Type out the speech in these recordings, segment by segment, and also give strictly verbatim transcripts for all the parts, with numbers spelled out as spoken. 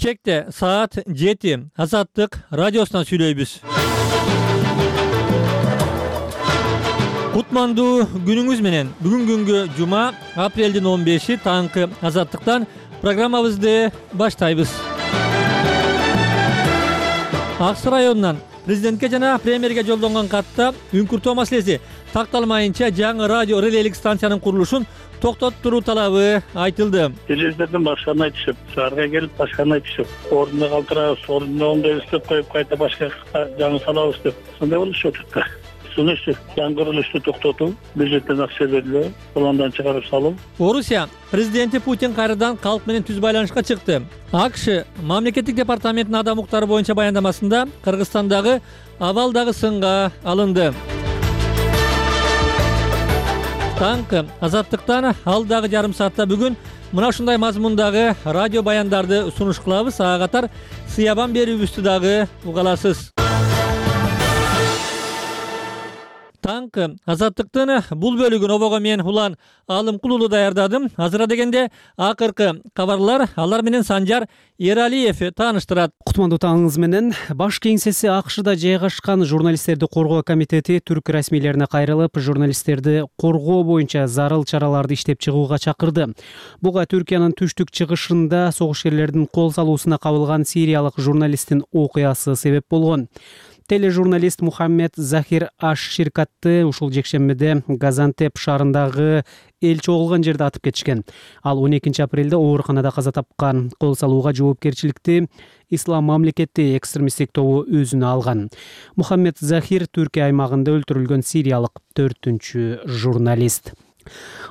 Бишкекте саат жети Азаттык радиосунан сүйлөйбүз. Кутмандуу күнүңүз менен. Бүгүн күнгө жума, апрелдин он беши таңкы Азаттыктан программабызды баштайбыз. Ак Суу районунан президентке жана премьерге жолдонгон катта үңкүртөө маселеси такталмайынча жаңы радио релелик станциянын курулушун токтоттуруу талабы айтылды. Телевизордон башканы айтышып, шаарга келип башканы айтышып, ордуна калтырабыз, ордуна оңдой иштеп коюп кайта башка жаңы салабыз деп. Сондай болуп атат. Сунушту жаңы курулушту токтотуп, бюджеттен акча берилип, пландан чыгарып салып. Орусия президенти Путин кайрадан калк менен түз байланышка чыкты. АКШ мамлекеттик департаментинин адам укуктары боюнча баяндамасында Кыргызстандагы абал дагы сынга алынды. Таңкы Азаттыктан алдагы жарым саатта бүгүн мына ушундай мазмундагы радио баяндарды сунуш кылабыз. Ага катар сыябан берүүбүздү дагы уга аласыз. Таңкы Азаттыктын бул бөлүгүн обого мен Улан Алымкулуулу даярдадым. Азыра дегенде акыркы кабарлар, алар менен Санжар Эралиев тааныштырат. Кутмандуу таңыңыз менен. Баш кеңсеси АКШда жайгашкан журналисттерди коргоо комитети түрк расмийлерине кайрылып, журналисттерди коргоо боюнча зарыл чараларды иштеп чыгууга чакырды. Буга Түркиянын түштүк чыгышында согушкерлердин кол салуусуна кабылган сириялык журналисттин окуясы себеп болгон. Тележурналист Мухаммед Захир Аш-Ширкатты ушул жекшембиде Газантеп шаарындагы эл чогулган жерде атып кетишкен. Ал он экинчи апрелде ооруканада каза тапкан. Кол салууга жоопкерчиликти Ислам мамлекети экстремисттик тобу өзүнө алган. Мухаммед Захир Түркия аймагында өлтүрүлгөн сириялык төртүнчү журналист.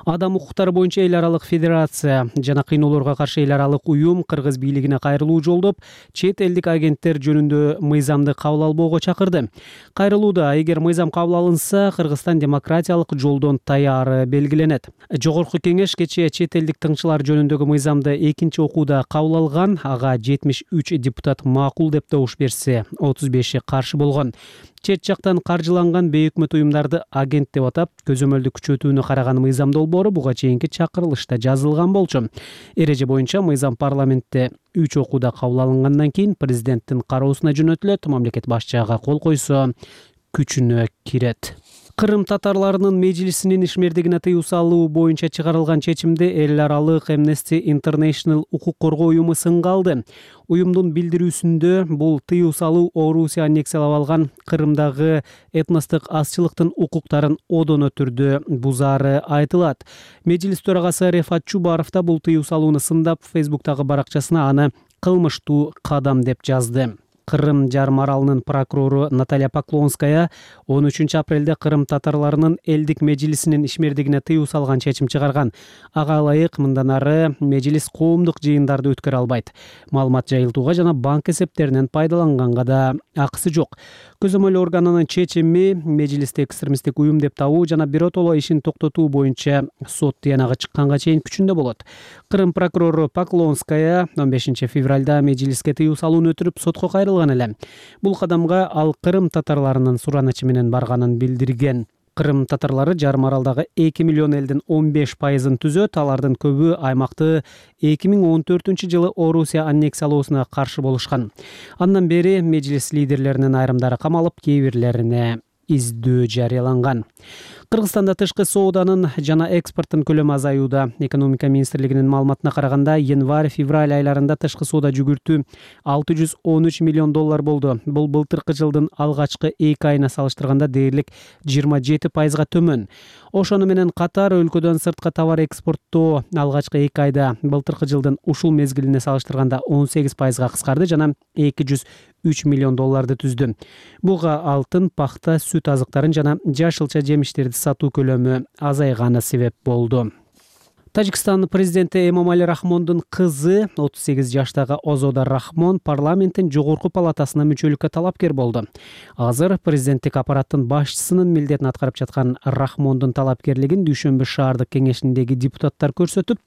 Адам укуктары боюнча эл аралык федерация жана кыйноолорго каршы эл аралык уюм кыргыз бийлигине кайрылуу жолдоп, чет элдик агенттер жөнүндө мыйзамды кабыл албоого чакырды. Кайрылууда эгер мыйзам кабыл алынса, Кыргызстан демократиялык жолдон таяры белгиленет. Жогорку кеңеш кечээ чет элдик тыңчылар жөнүндөгү мыйзамды экинчи окууда кабыл алган. Ага жетимиш үч депутат макул деп добуш берсе, отуз беши каршы болгон. Чет жактан каржыланган бейөкмөт уюмдарды агент деп атап, көзөмөлдү күчөтүүнү караган мыйзам долбоору буга чейинки чакырылышта жазылган болчу. Эреже боюнча мыйзам парламентте үч окууда кабыл алынгандан кийин президенттин кароосуна жөнөтүлөт. Мамлекет башчыга кол койсо, күчүнө кирет. Кырым татарларынын мejlisинин ишмердигине тыюу салуу боюнча чыгарылган чечимди эл аралык Amnesty International укук коргоо уюму сынга алды. Уюмдун билдирүүсүндө бул тыюу салуу Орусия аннексиялап алган Кырымдагы этностук азчылыктын укуктарын одоно түрдө бузаары айтылат. Мejlis төрагасы Рефат Чубаров да бул тыюу салууну сындап, Facebook'тагы баракчасына аны кылмыштуу кадам деп жазды. Кырым жарым аралынын прокурору Наталья Поклонская он үчүнчү апрелде Кырым татарларынын элдик мejlisинин ишмердигине тыюу салган чечим чыгарган. Ага ылайык мындан ары мejlis коомдук жыйындарды өткөрө албайт. Маалымат жайылтууга жана банк эсептеринен пайдаланганга да акысы жок. Көзөмөл органынын чечими мejlisти экстремисттик уюм деп табуу жана биротоло ишин токтотуу боюнча сот тыянагы чыкканга чейин күчүндө болот. Кырым прокурору Поклонская он бешинчи февралда мejlisке тыюу салууну өтүрүп сотко кайрылган. Бул кадамга ал Кырым татарларынын суранычы менен барганын билдирген. Кырым татарлары жарым аралдагы эки миллион элдин он беш пайызын түзөт. Алардын көбү аймакты эки миң он төртүнчү жылы Орусия аннексиялоосуна каршы болушкан. Андан бери мejlis лидерлеринин айрымдары камалып, кээ бирлерине издөө жарыяланган. Кыргызстанда тышкы сооданын жана экспорттун көлөмү азаюуда. Экономика министрлигинин маалыматына караганда, январь-февраль айларында тышкы соода жүгүртүү алты жүз он үч миллион доллар болду. Бул былтыркы жылдын алгачкы эки айына салыштырганда дээрлик жыйырма жети пайызга төмөн. Ошону менен катар өлкөдөн сыртка товар экспорттоо алгачкы эки айда былтыркы жылдын ушул мезгилине салыштырганда он сегиз пайызга кыскарды жана эки жүз үч миллион долларды түздү. Буга алтын, пахта, сүт азыктарын жана жашылча жемиштерди сатуу көлөмү азайганы себеп болду. Тажикстан президенти Эмомали Рахмондун кызы отуз сегиз жаштагы Озода Рахмон парламенттин жогорку палатасына мүчөлүккө талапкер болду. Азыр президенттик аппараттын башчысынын милдетин аткарып жаткан Рахмондун талапкерлигин Дүйшөмбү шаардык кеңешиндеги депутаттар көрсөтүп,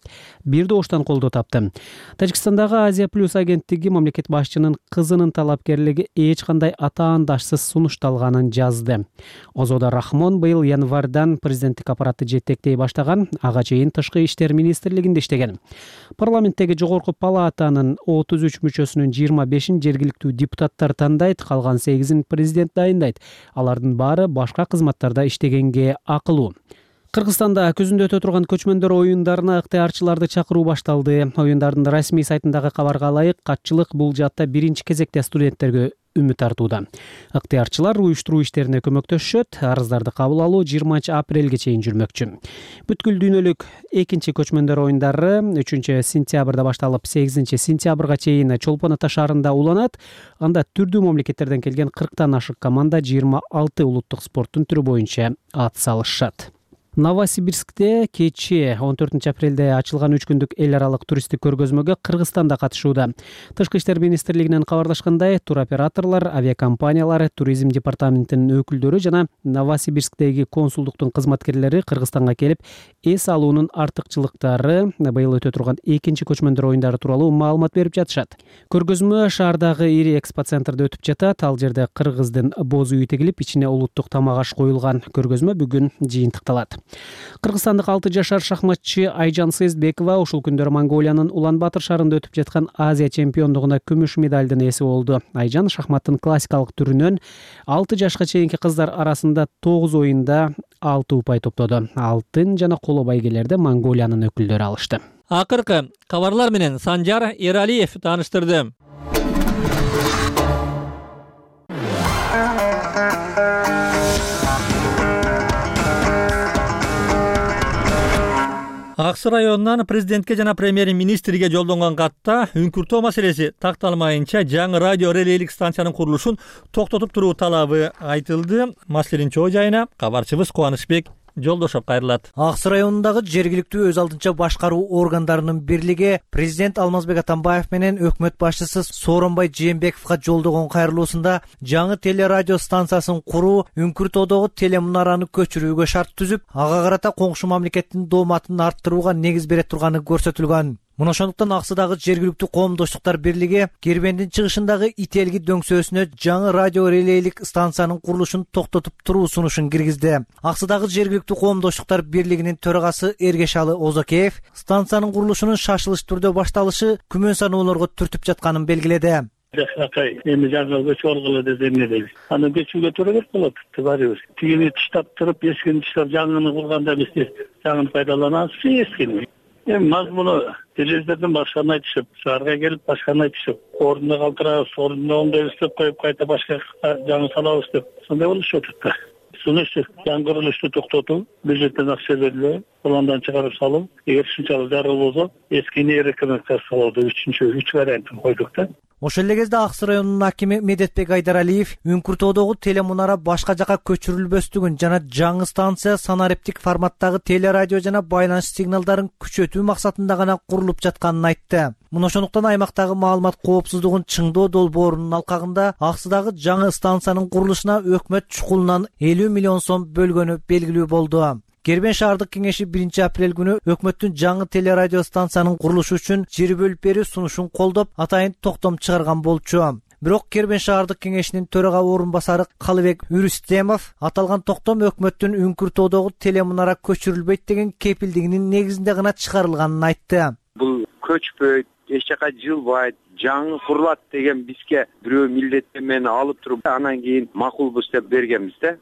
бир добуштан колдоо тапты. Тажикстандагы Азия плюс агенттиги мамлекет башчынын кызынын талапкерлиги эч кандай атаандашсыз сунушталганын жазды. Озода Рахмон быйыл январдан президенттик аппаратты жетектей баштаган, ага чейин тышкы иштер министрлигинде иштеген. Парламенттеги жогорку палатанын отуз үч мүчөсүнүн жыйырма бешин жергиликтүү депутаттар тандайт, калган сегизин президент дайындайт. Алардын баары башка кызматтарда иштегенге акылуу. Кыргызстанда күзүндө өтө турган көчмөндөр оюндарына ыктыярчыларды чакыруу башталды. Оюндардын расмий сайтындагы кабарга ылайык, катчылык бул жаатта биринчи кезекте студенттерге үмүт артууда. Ыктыярчылар уюштуруу иштерине көмөктөшөт. Арыздарды кабыл алуу жыйырманчы апрелге чейин жүрмөкчү. Бүткүл дүйнөлүк экинчи көчмөндөр оюндары үчүнчү сентябрда башталып, сегизинчи сентябрга чейин Чолпон Ата шаарында уланат. Анда түрдүү мамлекеттерден келген кырктан ашык команда жыйырма алты улуттук спорттун түрү боюнча ат салышат. Новосибирскте кечээ он төртүнчү апрелде ачылган үч күндүк эл аралык туристтик көргөзмөгө Кыргызстан да катышууда. Тышкы иштер министрлигинен кабарлашкандай, туроператорлор, авиакомпаниялар, туризм департаментинин өкүлдөрү жана Новосибирсктеги консулдуктун кызматкерлери Кыргызстанга келип, эс алуунун артыкчылыктары, быйыл өтө турган экинчи көчмөндөр оюндары тууралуу маалымат берип жатышат. Көргөзмө шаардагы ири экспоцентрде өтүп жатат. Ал жерде кыргыздын боз үйү тигилип, ичине улуттук тамак аш коюлган. Көргөзмө бүгүн жыйынтыкталат. Кыргызстандык алты жашар шахматчы Айжан Сезбекова ушул күндөрү Монголиянын Улан-Батыр шаарында өтүп жаткан Азия чемпиондугуна күмүш медалдын ээси болду. Айжан шахматтын классикалык түрүнөн алты жашка чейинки кыздар арасында тогуз оюнда алты упай топтоду. Алтын жана коло байгелерди Монголиянын өкүлдөрү алышты. Акыркы кабарлар менен Санжар Эралиев тааныштырды. Аксы районунан президентке жана премьер-министрге жолдонгон катта үңкүртөө маселеси такталмайынча жаңы радио релейлик станциянын курулушун токтотуп туруу талабы айтылды. Маселенин чоо жайына кабарчыбыз Кубанычбек Жолдошов кайрылат. Аксы районундагы жергиликтүү өз алдынча башкаруу органдарынын бирлиги президент Алмазбек Атамбаев менен өкмөт башчысы Сооронбай Жээнбековго жолдогон кайрылуусунда жаңы телерадио станциясын куруу, Үңкүртөдөгү телемунараны көчүрүүгө шарт түзүп, ага карата коңшу мамлекеттин дооматын арттырууга негиз бере турганы көрсөтүлгөн. Мына ошондуктан Аксыдагы жергиликтүү коомдоштуктар бирлиги Кербендин чыгышындагы Ителги дөңсөөсүнө жаңы радио релейлик станциянын курулушун токтотуп туруу сунушун киргизди. Аксыдагы жергиликтүү коомдоштуктар бирлигинин төрагасы Эргешалы Озокеев станциянын курулушунун шашылыш түрдө башталышы күмөн саноолорго түртүп жатканын белгиледи. Жакшынакай эми жаңы көчүп алгыла дегенде дейбиз. Аны көчүүгө туура келип калат. Баарыбыз тигини таштап туруп, эскини таштап жаңыны курганда биз жаңыны пайдаланабыз, эскини. Эми мазмуну телевизордон башканы айтышып, шаарга келип башканы айтышып, ордуна калтырабыз, ордуна иштеп коюп кайта башка жаңы салабыз деп сондай болушуп атат да. Сунушту жаңы курулушту токтотуу, бюджеттен акча берилүү, пландан чыгарып салуу, эгер ушунчалык зарыл болсо, эскини рекомендациялоодо үчүнчү үч вариантын койдук да. Ошол эле кезде Аксы районунун акими Медетбек Айдаралиев Үңкүртөдөгү телемунара башка жака көчүрүлбөстүгүн жана жаңы станция санариптик форматтагы телерадио жана байланыш сигналдарын күчөтүү максатында гана курулуп жатканын айтты. Мына ошондуктан аймактагы маалымат коопсуздугун чыңдоо долбоорунун алкагында Аксыдагы жаңы станциянын курулушуна өкмөт чукулунан элүү миллион сом бөлгөнү белгилүү болду. Кербен шаардык кеңеши биринчи апрель күнү өкмөттүн жаңы телерадио станциянын курулушу үчүн жер бөлүп берүү сунушун колдоп, атайын токтом чыгарган болчу. Бирок Кербен шаардык кеңешинин төрага орун басары Калыбек Үрүстемов аталган токтом өкмөттүн Үңкүртөдөгү телемунара көчүрүлбөйт деген кепилдигинин негизинде гана чыгарылганын айтты. Бул көчпөйт, эч жака жылбайт, жаңы курулат деген бизге бирөө милдеттенмени алып туруп, анан кийин макулбуз деп бергенбиз да.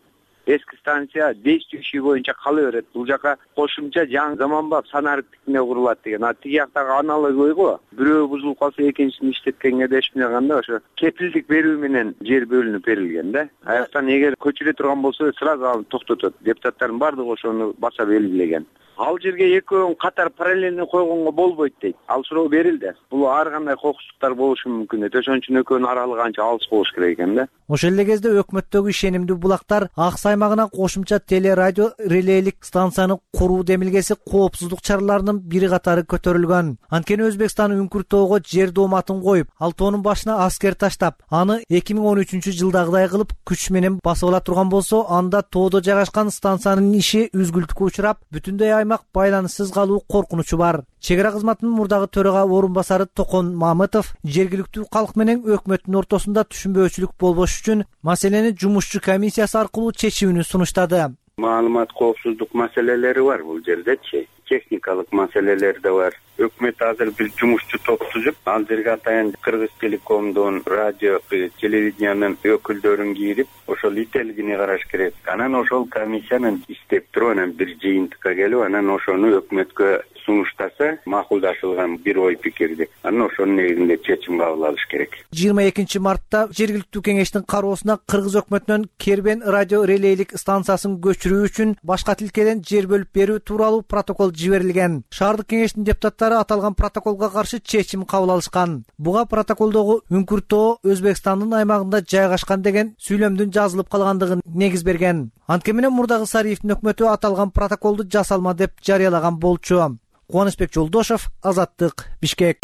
Эски станция действующий боюнча кала берет. Бул жака кошумча жаңы заманбап санариптикине курулат деген. А тиги жактагы аналогы го. Бирөө бузулуп калса экинчисин иштеткенге да эчмене кандай ошо кепилдик берүү менен жер бөлүнүп берилген да. Аяктан эгер көчүрө турган болсо сразу аны токтотот. Депутаттардын баардыгы ошону баса белгилеген. Ал жерге экөөнүн катар параллельно койгонго болбойт дейт. Ал суроо берилди. Бул ар кандай кокустуктар болушу мүмкүн дейт. Ошон үчүн экөөнүн аралыгы анча алыс болуш керек экен да. Ошол эле кезде өкмөттөгү ишенимдүү булактар Аксы аймагына кошумча телерадио релейлик станцияны куруу демилгеси коопсуздук чараларынын бири катары көтөрүлгөн. Анткени Өзбекстан Үңкүртөөгө жер дооматын коюп, ал тоонун башына аскер таштап, аны эки миң он үчүнчү жылдагыдай кылып күч менен басып ала турган болсо, анда тоодо жайгашкан станциянын иши үзгүлтүккө учурап, бүтүндөй аймак байланыссыз калуу коркунучу бар. Чек ара кызматынын мурдагы төрага орун басары Токон Мамытов жергиликтүү калк менен өкмөттүн ортосунда түшүнбөөчүлүк болбош үчүн маселени жумушчу комиссиясы аркылуу чечүүнү сунуштады. Маалымат коопсуздук маселелери бар бул жердечи. техникалык маселелер да бар. Өкмөт азыр бир жумушчу топ түзүп, ал жерге атайын Кыргыз Телекомдун, радио, телевидениянын өкүлдөрүн кирип, ошол ителгини караш керек. Анан ошол комиссиянын иштеп туруп, анан бир жыйынтыкка келип, анан ошону өкмөткө сунуштаса, макулдашылган бир ой пикирди. Анан ошонун негизинде чечим кабыл алыш керек. жыйырма экинчи мартта жергиликтүү кеңештин кароосуна Кыргыз өкмөтүнөн Кербен радио релейлик станциясын көчүрүү үчүн башка тилкеден жер бөлүп берүү тууралуу протокол жиберилген. Шаардык кеңештин депутаттары аталган протоколго каршы чечим кабыл алышкан. Буга протоколдогу Үңкүртөө Өзбекстандын аймагында жайгашкан деген сүйлөмдүн жазылып калгандыгын негиз берген. Анткени менен мурдагы Сариевдин өкмөтү аталган протоколду жасалма деп жарыялаган болчу. Кубанычбек Жолдошов, Азаттык, Бишкек.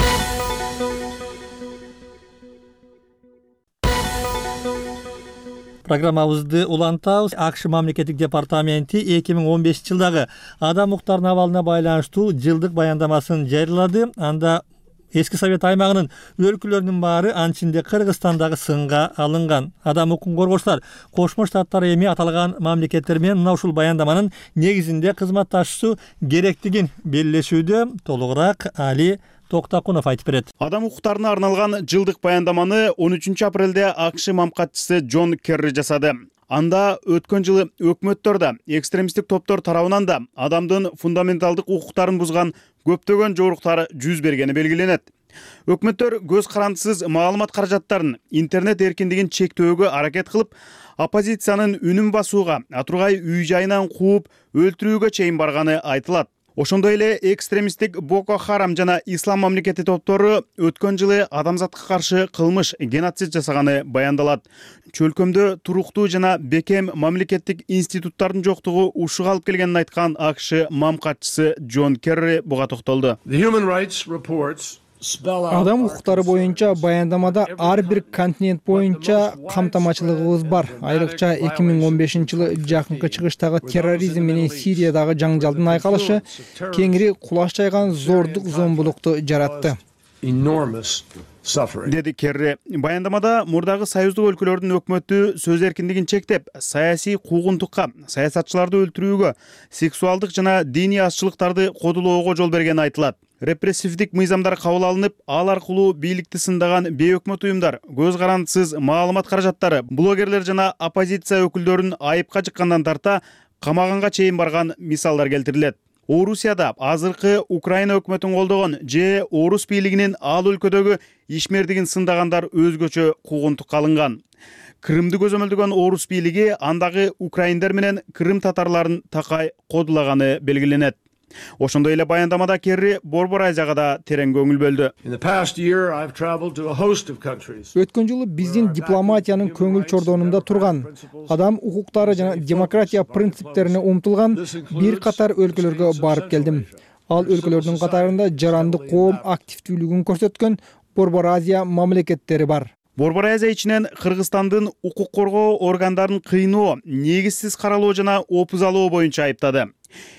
Программабызды улантабыз. АКШ мамлекеттик департаменти эки миң он бешинчи жылдагы адам укуктарынын абалына байланыштуу жылдык баяндамасын жарыялады. Анда эски Совет аймагынын өлкөлөрүнүн баары, анын ичинде Кыргызстандагы сынга алынган. Адам укугун коргоочулар Кошмо Штаттар эми аталган мамлекеттер менен мына ушул баяндаманын негизинде кызматташуу керектигин белгилешүүдө. Толугураак Али Токтакунов айтып берет. Адам укуктарына арналган жылдык баяндаманы он үчүнчү апрелде АКШ мамкатчысы Джон Керри жасады. Анда өткөн жылы өкмөттөр да, экстремисттик топтор тарабынан да адамдын фундаменталдык укуктарын бузган көптөгөн жоруктар жүз бергени белгиленет. Өкмөттөр көз карандысыз маалымат каражаттарын, интернет эркиндигин чектөөгө аракет кылып, оппозициянын үнүн басууга, атургай үй жайынан кууп, өлтүрүүгө чейин барганы айтылат. Ошондой эле экстремисттик Боко Харам жана Ислам мамлекети топтору өткөн жылы адамзатка каршы кылмыш, геноцид жасаганы баяндалат. Чөлкөмдө туруктуу жана бекем мамлекеттик институттардын жоктугу ушуга алып келгенин айткан АКШ мамкатчысы Джон Керри буга токтолду. Адам укуктары боюнча баяндамада ар бир континент боюнча камтамачылыгыбыз бар. Айрыкча эки миң он бешинчи жылы жакынкы чыгыштагы терроризм менен Сириядагы жаңжалдын айкалышы кеңири кулаш жайган зордук зомбулукту жаратты, деди Керри. Баяндамада мурдагы союздук өлкөлөрдүн өкмөтү сөз эркиндигин чектеп, саясий куугунтукка, саясатчыларды өлтүрүүгө, сексуалдык жана диний азчылыктарды кодулоого жол бергени айтылат. Репрессивдик мыйзамдар кабыл алынып, ал аркылуу бийликти сындаган бейөкмөт уюмдар, көз карандысыз маалымат каражаттары, блогерлер жана оппозиция өкүлдөрүн айыпка жыккандан тарта камаганга чейин барган мисалдар келтирилет. Орусияда азыркы Украина өкмөтүн колдогон же орус бийлигинин ал өлкөдөгү ишмердигин сындагандар өзгөчө куугунтукка алынган. Крымды көзөмөлдөгөн орус бийлиги андагы украиндер менен крым татарларын такай кодулаганы белгиленет. Ошондой эле баяндамада Керри Борбор Азияга да терең көңүл бөлдү. Өткөн жылы биздин дипломатиянын көңүл чордонунда турган, адам укуктары жана демократия принциптерине умтулган бир катар өлкөлөргө барып келдим. Ал өлкөлөрдүн катарында жаранды коом активдүүлүгүн көрсөткөн Борбор Азия мамлекеттери бар. Борбор Азия ичинен Кыргызстандын укук коргоо органдарын кыйноо, негизсиз каралоо жана опузалоо боюнча айыптады.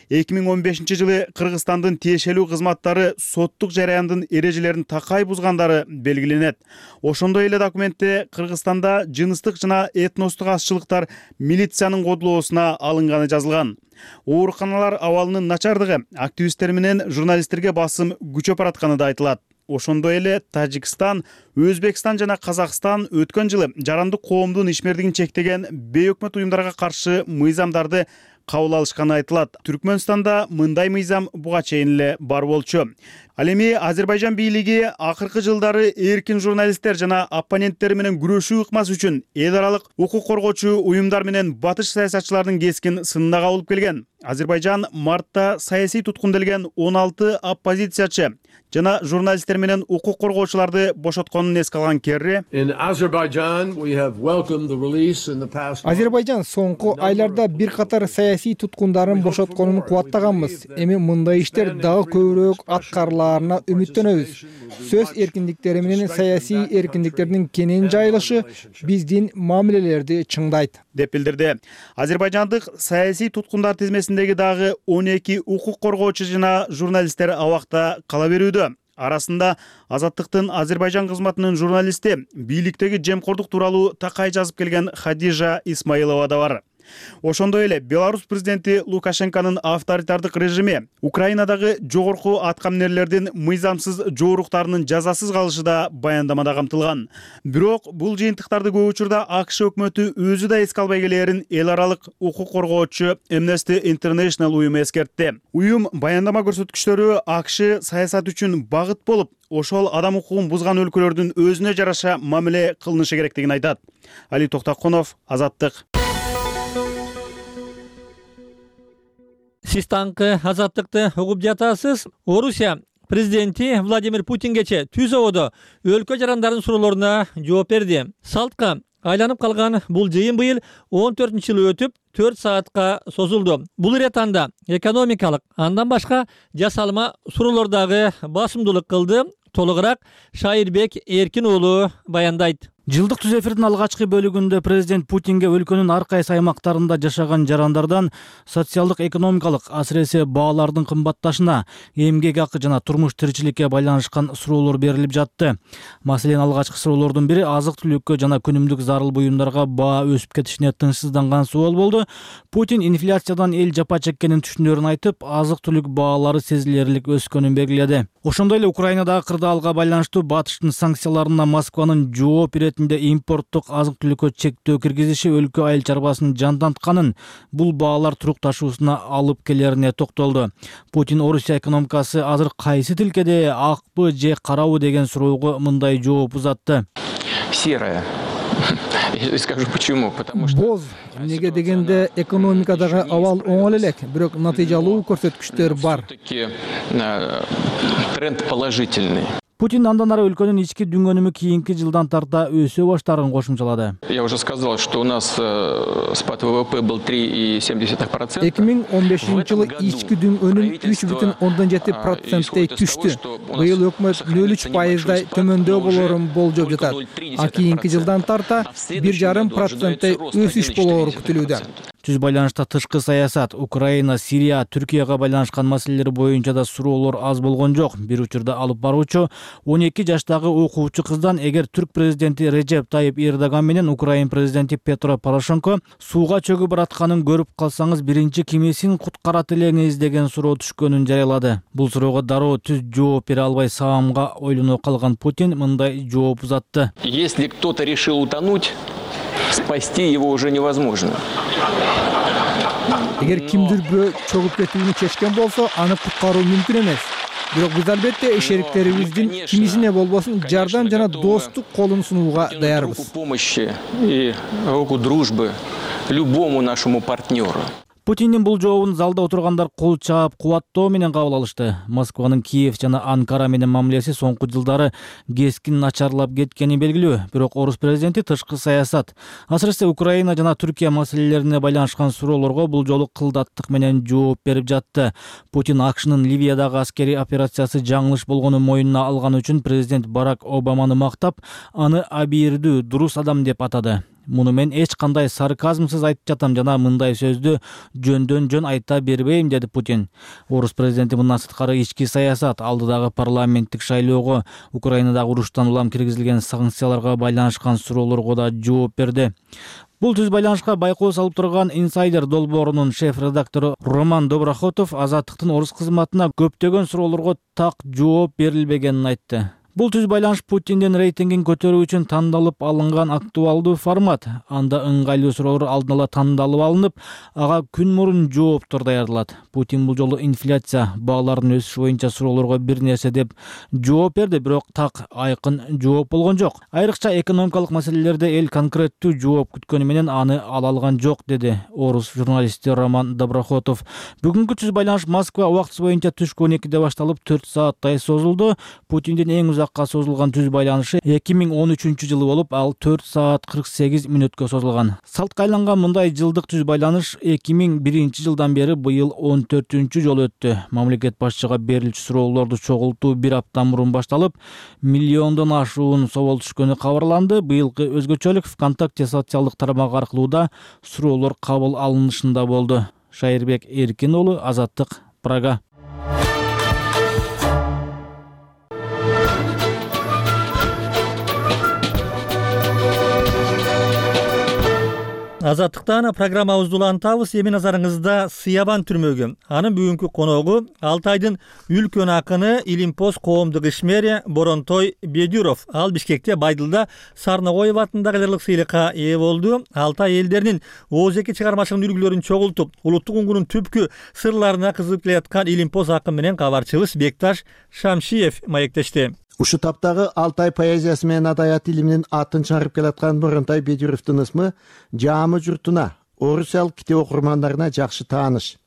эки миң он бешинчи жылы Кыргызстандын тиешелүү кызматтары соттук жараяндын эрежелерин такай бузгандары белгиленет. Ошондой эле документте Кыргызстанда жыныстык жана этностук азчылыктар милициянын кодулоосуна алынганы жазылган. Ооруканалар абалынын начардыгы активисттер менен журналисттерге басым күчөп баратканы да айтылат. Ошондой эле Тажикстан, Өзбекстан жана Казакстан өткөн жылы жарандык коомдун ишмердигин чектеген бейөкмөт уюмдарга каршы мыйзамдарды кабыл алышканы айтылат. Түркмөнстанда мындай мыйзам буга чейин эле бар болчу. Ал эми Азербайжан бийлиги акыркы жылдары эркин журналисттер жана оппоненттери менен күрөшүү ыкмасы үчүн эл аралык укук коргоочу уюмдар менен батыш саясатчылардын кескин сынына кабылып келген. Азербайжан мартта саясий туткунделген он алты оппозициячы жана журналисттер менен укук коргоочуларды бошотконун эске алган Керри Азербайжан соңку айларда бир катар саясий туткундарын бошотконун кубаттаганбыз. Эми мындай иштер дагы көбүрөөк аткарылаарына үмүттөнөбүз. Сөз эркиндиктери менен саясий эркиндиктердин кенен жайылышы биздин мамилелерди чыңдайт, деп билдирди. Азербайжандык саясий туткундар тизмесиндеги дагы он эки укук коргоочу жана журналисттер абакта кала берүүдө. Арасында Азаттыктын Азербайжан кызматынын журналисти, бийликтеги жемкордук тууралуу такай жазып келген Хадижа Исмаилова да бар. Ошондой эле Беларусь президенти Лукашенконун авторитардык режими Украинадагы жогорку аткаминерлердин мыйзамсыз жооруктарынын жазасыз калышы да баяндамада камтылган. Бирок бул жыйынтыктарды көп учурда АКШ өкмөтү өзү да эске албай келээрин эл аралык укук коргоочу Amnesty International уюму эскертти. Уюм баяндама көрсөткүчтөрү АКШ саясат үчүн багыт болуп, ошол адам укугун бузган өлкөлөрдүн өзүнө жараша мамиле кылынышы керектигин айтат. Али Токтоконов, Азаттык. Сиз таңкы Азаттыкты угуп жатасыз. Орусия президенти Владимир Путингече түз ободо өлкө жарандардын суроолоруна жооп берди. Салтка айланып калган бул жыйын быйыл он төртүнчү жылы өтүп, төрт саатка созулду. Бул иретанда экономикалык, андан башка жасалма суроолордогу басымдуулук кылды. Толугураак Шайырбек Эркин уулу баяндайт. Жылдык түз эфирдин алгачкы бөлүгүндө президент Путинге өлкөнүн ар кайсы аймактарында жашаган жарандардан социалдык экономикалык, асыресе баалардын кымбатташына, эмгек акы жана турмуш тиричиликке байланышкан суроолор берилип жатты. Маселен, алгачкы суроолордун бири азык-түлүккө жана күнүмдүк зарыл буюмдарга баа өсүп кетишине тынчсызданган суол болду. Путин инфляциядан эл жапа чеккенин түшүнөрүн айтып, азык-түлүк баалары сезилерлик өскөнүн белгиледи. Ошондой эле Украинадагы кырдаалга байланыштуу батыштын санкцияларына Москванын жооп иретинде импорттук азык-түлүккө чектөө киргизиши өлкө айыл чарбасын жандантканын, бул баалар турукташуусуна алып келерине токтолду. Путин Орусия экономикасы азыр кайсы тилкеде, акпы же карабы деген суроого мындай жооп узатты. Серая. Я скажу почему, потому что боз. Неге дегенде экономикадагы абал оңол элек, бирок натыйжалуу көрсөткүчтөр бар. Тренд положительный. Путин андан ары өлкөнүн ички дүнгөнүмү кийинки жылдан тарта өсө баштарын кошумчалады. Я уже сказал, что у нас спад ВВП был три и семь десятых процента. эки миң он бешинчи жылы ички дүнгөнүм үч бүтүн ондон жети проценттей түштү. Быйыл өкмөт нөл үч пайыздай төмөндөө болорун болжоп жатат. А кийинки жылдан тарта бир жарым проценттей өсүш болору күтүлүүдө. Түз байланышта тышкы саясат, Украина, Сирия, Түркияга байланышкан маселелер боюнча да суроолор аз болгон жок. Бир учурда алып баруучу он эки жаштагы окуучу кыздан эгер түрк президенти Режеп Тайып Эрдоган менен Украин президенти Петро Порошенко сууга чөгүп баратканын көрүп калсаңыз, биринчи кимисин куткарат элеңиз деген суроо түшкөнүн жарыялады. Бул суроого дароо түз жооп бере албай саамга ойлоно калган Путин мындай жооп узатты. Если кто-то решил утонуть, спасти его уже невозможно. Эгер кимдир бирөө чөгүп кетүүнү чечкен болсо, аны куткаруу мүмкүн эмес. Бирок биз албетте шериктерибиздин кимисине болбосун жардам жана достук колун сунууга даярбыз. Руку помощи и руку дружбы любому нашему партнеру. Путиндин бул жообун залда отургандар кол чаап, кубаттоо менен кабыл алышты. Москванын Киев жана Анкара менен мамилеси соңку жылдары кескин начарлап кеткени белгилүү. Бирок орус президенти тышкы саясат, асыресе Украина жана Түркия маселелерине байланышкан суроолорго бул жолу кылдаттык менен жооп берип жатты. Путин АКШнын Ливиядагы аскерий операциясы жаңылыш болгонун мойнуна алган үчүн президент Барак Обаманы мактап, аны абийирдүү, дурус адам деп атады. Муну мен эч кандай сарказмсыз айтып жатам жана мындай сөздү жөндөн жөн айта бербейм, деди Путин. Орус президенти мындан сырткары ички саясат, алдыдагы парламенттик шайлоого, Украинадагы уруштан улам киргизилген санкцияларга байланышкан суроолорго да жооп берди. Бул түз байланышка байкоо салып турган Insider долбоорунун шеф-редактору Роман Доброхотов Азаттыктын орус кызматына көптөгөн суроолорго так жооп берилбегенин айтты. Бул түз байланыш Путиндин рейтингин көтөрүү үчүн тандалып алынган актуалдуу формат. Анда ыңгайлуу суроолор алдын ала тандалып алынып, ага күн мурун жооптор даярдалат. Путин бул жолу инфляция, баалардын өсүшү боюнча суроолорго бир нерсе деп жооп берди, бирок так айкын жооп болгон жок. Айрыкча экономикалык маселелерде эл конкреттүү жооп күткөнү менен аны ала алган жок, деди орус журналисти Роман Доброхотов. Бүгүнкү түз байланыш Москва убактысы боюнча түшкү он экиде башталып төрт сааттай созулду. Путиндин эң узакка созулган түз байланышы эки миң он үчүнчү жылы болуп, ал төрт саат кырк сегиз мүнөткө созулган. Салтка айланган мындай жылдык түз байланыш эки миң биринчи жылдан бери быйыл он төртүнчү жолу өттү. Мамлекет башчыга берилчү суроолорду чогултуу бир апта мурун башталып, миллиондон ашуун соол түшкөнү кабарланды. Быйылкы өзгөчөлүк ВКонтакте социалдык тармагы аркылуу да суроолор кабыл алынышында болду. Шайырбек Эркин уулу, Азаттык, Прага. Азаттыктан программабызды улантабыз. Эми назарыңызда Сыябан түрмөгү. Анын бүгүнкү коногу Алтайдын үлкөн акыны Илимпоз коомдук ишмери Боронтой Бедюров. Ал Бишкекте Байдылда Сарногоев атындагы ырлык сыйлыкка ээ болду. Алтай элдеринин ооз эки чыгармачылык үлгүлөрүн чогултуп, улуттук уңгунун түпкү сырларына кызыгып келаткан Илимпоз акын менен кабарчыбыз Бекташ Шамшиев маектешти. Ушу таптагы Алтай поэзиясы менен адаят илиминин атын чыгарып келаткан Боронтой Бедюровдун ысмы жаамы журтуна, орусиялык китеп окурмандарына жакшы тааныш.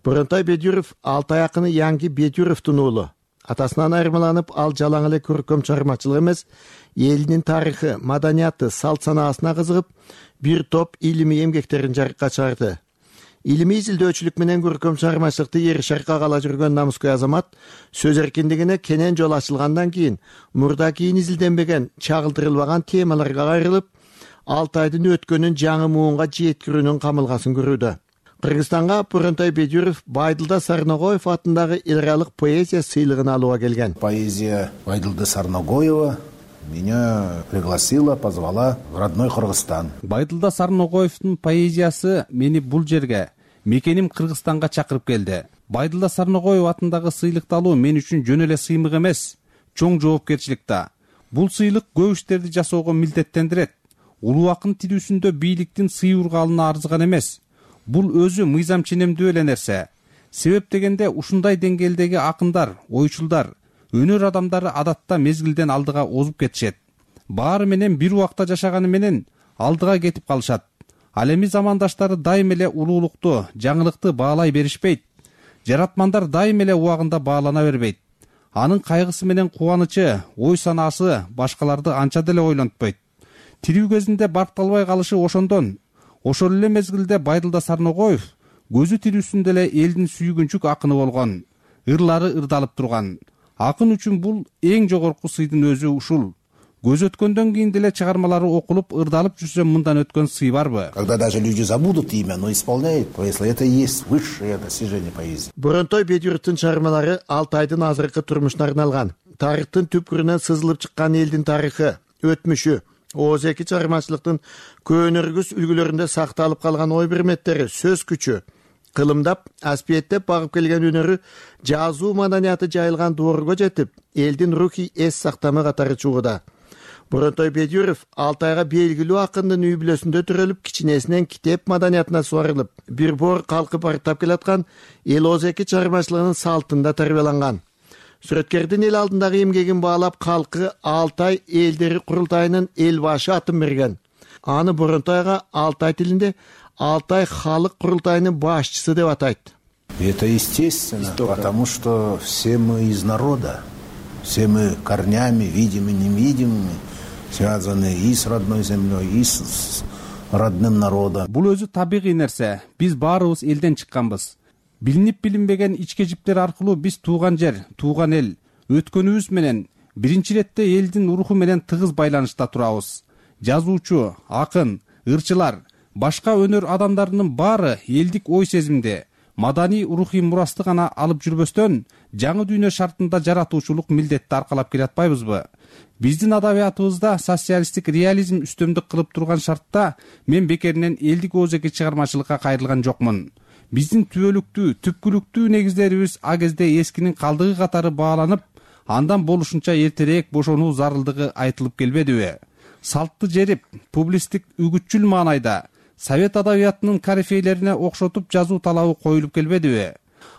Боронтой Бедюров Алтай акыны Янги Бедюровдун уулу. Атасынан айырмаланып, ал жалаң эле көркөм чыгармачылык эмес, элинин тарыхы, маданияты, салт санаасына кызыгып, бир топ илимий эмгектерин жарыкка чыгарды. Илимий изилдөөчүлүк менен көркөм чыгармачылыкты эр шаркка кала жүргөн намыскөй азамат сөз эркиндигине кенен жол ачылгандан кийин мурда кийин изилденбеген, чагылдырылбаган темаларга кайрылып, Алтайдын өткөнүн жаңы муунга жеткирүүнүн камылгасын көрүүдө. Кыргызстанга Боронтой Бедюров Байдылда Сарногоев атындагы эл аралык поэзия сыйлыгын алууга келген. Поэзия Байдылда Сарногоева меня пригласила, позвала в родной Кыргызстан. Байдылда Сарногоевдун поэзиясы мени бул жерге, мекеним Кыргызстанга чакырып келди. Байдылда Сарногоев атындагы сыйлыкты алуу мен үчүн жөн эле сыймык эмес, чоң жоопкерчилик да. Бул сыйлык көп иштерди жасоого милдеттендирет. Улуу акын тирүүсүндө бийликтин сый ургалына арзыган эмес. Бул өзү мыйзам ченемдүү эле нерсе. Себеп дегенде ушундай деңгээлдеги акындар, ойчулдар, өнөр адамдары адатта мезгилден алдыга озуп кетишет. Баары менен бир убакта жашаганы менен алдыга кетип калышат. Ал эми замандаштары дайым эле улуулукту, жаңылыкты баалай беришпейт. Жаратмандар дайым эле убагында баалана бербейт. Анын кайгысы менен кубанычы, ой санаасы башкаларды анча деле ойлонтпойт. Тирүү кезинде баркталбай калышы ошондон. Ошол эле мезгилде Байдылда Сарногоев көзү тирүүсүндө эле элдин сүйгүнчүк акыны болгон, ырлары ырдалып турган. Акын үчүн бул эң жогорку сыйдын өзү ушул. Көз өткөндөн кийин деле чыгармалары окулуп, ырдалып жүрсө мындан өткөн сый барбы? Когда даже люди забудут имя, но исполняют поэзию, это и есть высшее достижение поэзии. Боронтой Бедюровдун чыгармалары Алтайдын азыркы турмушуна арналган. Тарыхтын түпкүрүнөн сызылып чыккан элдин тарыхы, өтмүшү, ооз эки чыгармачылыктын көөнөргүс үлгүлөрүндө сакталып калган ой бирметтери, сөз күчү, кылымдап, аспиеттеп багып келген өнөрү жазуу маданияты жайылган доорго жетип, элдин рухий эс сактамы катары чугуда. Боронтой Бедюров Алтайга белгилүү акындын үй бүлөсүндө төрөлүп, кичинесинен китеп маданиятына суарылып, бир бор калкып барктап келаткан эл ооз эки чыгармачылыгынын салтында тарбияланган. Сүрөткердин эл алдындагы эмгегин баалап, калкы Алтай элдери курултайынын эл башы атын берген. Аны Боронтойго Алтай тилинде Алтай халык курултайынын башчысы деп атайт. Это естественно, потому что все мы из народа, все мы корнями, видимыми, невидимыми, связаны и с родной землей, и с родным народом. Бул өзү табигый нерсе. Биз баарыбыз элден чыкканбыз. Билинип билинбеген ички жиптер аркылуу биз тууган жер, тууган эл, өткөнүбүз менен биринчи иретте элдин руху менен тыгыз байланышта турабыз. Жазуучу, акын, ырчылар, башка өнөр адамдарынын баары элдик ой сезимди, маданий рухий мурасты гана алып жүрбөстөн, жаңы дүйнө шартында жаратуучулук милдетти аркалап келатпайбызбы? Биздин адабиятыбызда социалисттик реализм үстөмдүк кылып турган шартта мен бекеринен элдик ооз эки чыгармачылыкка кайрылган жокмун. Биздин түбөлүктүү, түпкүлүктүү негиздерибиз а кезде эскинин калдыгы катары бааланып, андан болушунча эртерээк бошонуу зарылдыгы айтылып келбедиби? Салтты жерип, публисттик үгүтчүл маанайда совет адабиятынын корифейлерине окшотуп жазуу талабы коюлуп келбедиби?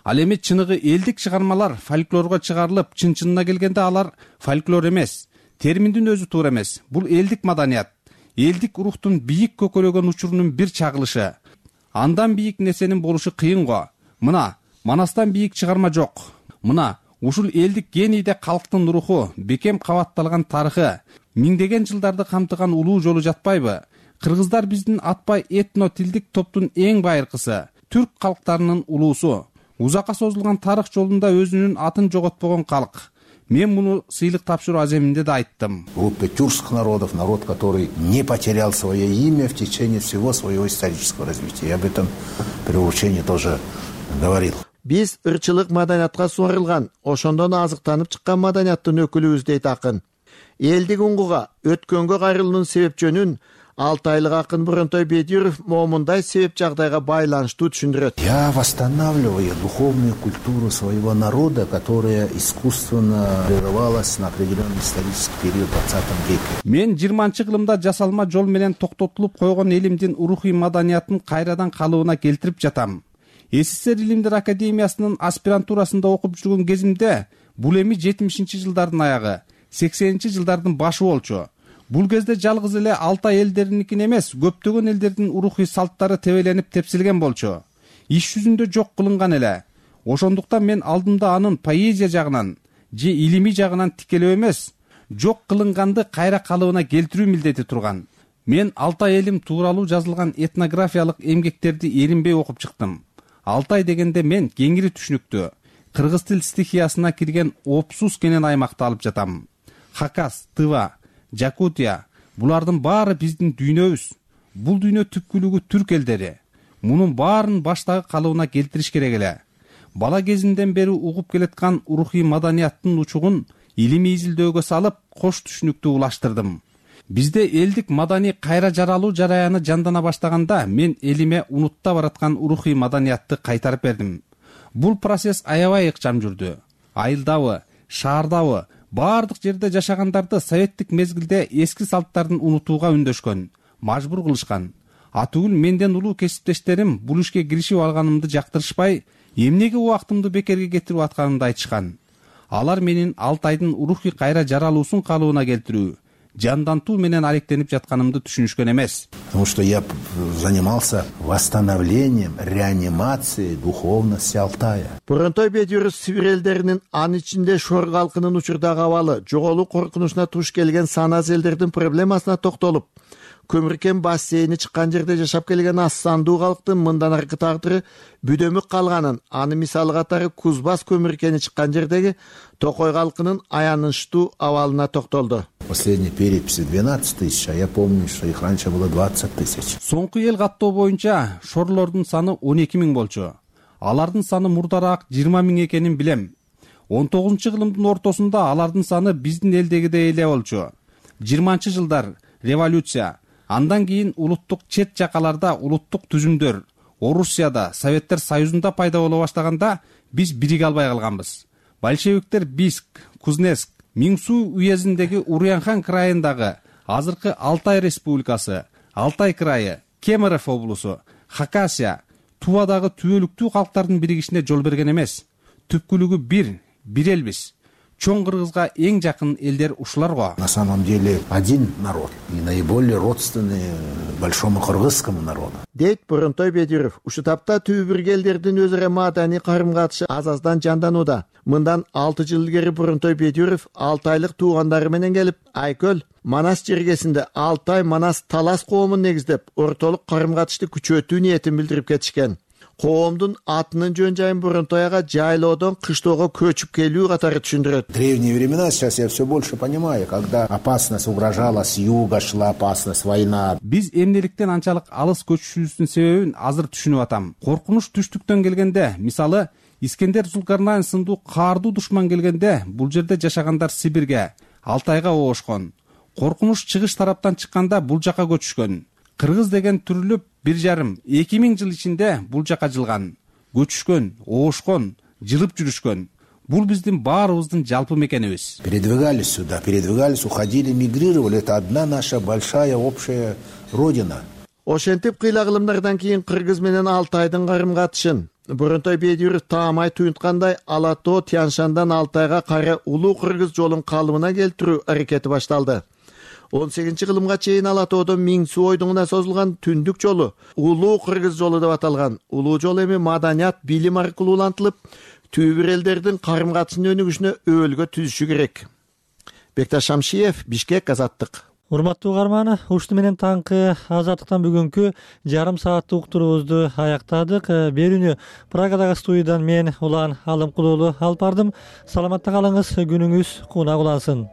Ал эми чыныгы элдик чыгармалар фольклорго чыгарылып, чын-чынына келгенде алар фольклор эмес, терминдин өзү туура эмес. Бул элдик маданият, элдик рухтун бийик көкөлөгөн учурунун бир чагылышы. Андан бийик нерсенин болушу кыйын го. Мына, Манастан бийик чыгарма жок. Мына, ушул элдик генийде калктын руху, бекем кабатталган тарыхы, миңдеген жылдарды камтыган улуу жолу жатпайбы? Кыргыздар биздин атпай этно тилдик топтун эң байыркысы, түрк калктарынын улуусу. Узакка созулган тарых жолунда өзүнүн атын жоготпогон калк. Мен муну сыйлык тапшыруу аземинде да айттым. Группа тюркских народов, народ, который не потерял свое имя в течение всего своего исторического развития. Я об этом при вручении тоже говорил. Биз ырчылык маданиятка суарылган, ошондон азыктанып чыккан маданияттын өкүлүбүз дейт акын. Элдик уңгуга, өткөнгө кайрылуунун себеп жөнүн алтайлык акын Буронтой Бедюров момундай себеп жагдайга байланыштуу түшүндүрөт. Я восстанавливаю духовную культуру своего народа, которая искусственно прерывалась на определенный исторический период в двадцатом веке. Мен жыйырманчы кылымда жасалма жол менен токтотулуп койгон элимдин урухий маданиятын кайрадан калыбына келтирип жатам. СССР Илимдер академиясынын аспирантурасында окуп жүргөн кезимде бул эми жетимишинчи жылдардын аягы, сексенинчи жылдардын башы болчу. Бул кезде жалгыз эле Алтай элдеринин эмес, көптөгөн элдердин урухий салттары тебеленип тепсилген болчу. Иш жүзүндө жок кылынган эле. Ошондуктан мен алдымда анын поэзия жагынан же илимий жагынан тикелөө эмес, жок кылынганды кайра калыбына келтирүү милдети турган. Мен Алтай элим тууралуу жазылган этнографиялык эмгектерди эринбей окуп чыктым. Алтай дегенде мен кеңири түшүнүктүү, кыргыз тил стихиясына кирген Опсус кенен аймакты алып жатам. Хакас, Тыва, Жакутия булардын баары биздин дүйнөбүз. Бул дүйнө түпкүлүгү түрк элдери. Мунун баарын баштагы калыбына келтириш керек эле. Бала кезимден бери угуп келаткан урухий маданияттын учугун илимий изилдөөгө салып, кош түшүнүктүү улаштырдым. Бизде элдик маданий кайра жаралуу жараяны жандана баштаганда мен элиме унутта бараткан урухий маданиятты кайтарып бердим. Бул процесс аябай ыкчам жүрдү. Айылдабы, шаардабы, баардык жерде жашагандарды советтик мезгилде эски салттарын унутууга үндөшкөн, мажбур кылышкан. Атүгүл менден улуу кесиптештерим бул ишке киришип алганымды жактырышпай, эмнеге убактымды бекерге кетирип атканымды айтышкан. Алар менин Алтайдын урухий кайра жаралуусун калыбына келтирүү, жандантуу менен алектенип жатканымды түшүнүшкөн эмес. Потому что я занимался восстановлением, реанимацией духовности Алтая. Буронтой Бедюров Сибир элдеринин, анын ичинде Шор калкынын учурдагы абалы, жоголуу коркунучуна туш келген саназ элдердин проблемасына токтолуп, көмүркен бассейни чыккан жерде жашап келген аз сандуу калктын мындан аркы тагдыры бүдөмүк калганын, аны мисалы катары Кузбас көмүркени чыккан жердеги Токой калкынын аянычтуу абалына токтолду. Последней переписи двенадцать тысяч, а я помню, что их раньше было двадцать тысяч. Соңку эл каттоо боюнча шорлордун саны он эки миң болчу. Алардын саны мурдараак жыйырма миң экенин билем. он тогузунчу кылымдын ортосунда алардын саны биздин элдегидей эле болчу. жыйырманчы жылдар революция, андан кийин улуттук чет жакаларда улуттук түзүмдөр, Орусияда, Советтер Союзунда пайда боло баштаганда биз бириге албай калганбыз. Большевиктер Бийск, Кузнецк, Миңсу уездиндеги Урянхан крайындагы азыркы Алтай республикасы, Алтай крайы, Кемерово облусу, Хакасия, Тувадагы түбөлүктүү калктардын биригишине жол берген эмес. Түпкүлүгү бир, бир элбиз. Чоң Кыргызга эң жакын элдер ушулар го. На самом деле один народ и наиболее родственный большому кыргызскому народу. Дейт Буронтой Бедюров. Ушу тапта түбү элдердин өзара маданий карым-катышы аз-аздан жанданууда. Мындан алты жыл илгери Буронтой Бедюров алтайлык туугандары менен келип, Айкөл, Манас жергесинде Алтай Манас Талас коомун негиздеп, ортолук карым-катышты күчөтүү ниетин билдирип кетишкен. Коомдун атынын жөн жайын Буронтойга жайлоодон кыштоого көчүп келүү катары түшүндүрөт. Древние времена, сейчас я все больше понимаю, когда опасность угрожала с юга, шла опасность, война. Биз эмнеликтен анчалык алыс көчүшүбүздүн себебин азыр түшүнүп атам. Коркунуч түштүктөн келгенде, мисалы, Искендер Зулкарнайн сындуу каардуу душман келгенде, бул жерде жашагандар Сибирге, Алтайга оошкон. Коркунуч чыгыш тараптан чыкканда бул жака көчүшкөн. Кыргыз деген түрүлүп бир жарым, эки миң жыл ичинде бул жака жылган. Көчүшкөн, оошкон, жылып жүрүшкөн. Бул биздин баарыбыздын жалпы мекенибиз. Передвигались сюда, передвигались, уходили, мигрировали. Это одна наша большая общая родина. Ошентип кыйла кылымдардан кийин Кыргыз менен Алтайдын карым-катышын Буронтой Бедюров таамай туюнткандай Ала Тоо Тяншандан Алтайга кайра улуу кыргыз жолун калыбына келтирүү аракети башталды. он сегизинчи кылымга чейин Ала Тоодон Миңсу ойдуңуна созулган түндүк жолу улуу кыргыз жолу деп аталган. Улуу жол эми маданият, билим аркылуу улантылып, түбүр элдердин карым-катышынын өнүгүшүнө өбөлгө түзүшү керек. Бекташ Шамшиев, Бишкек, Азаттык. Урматтуу угарман, ушуну менен таңкы Азаттыктан бүгүнкү жарым сааттык уктуруубузду аяктадык. Берүүнү Прагадагы студиядан мен Улан Алымкулуулу алып бардым. Саламатта калыңыз, күнүңүз кунак улансын.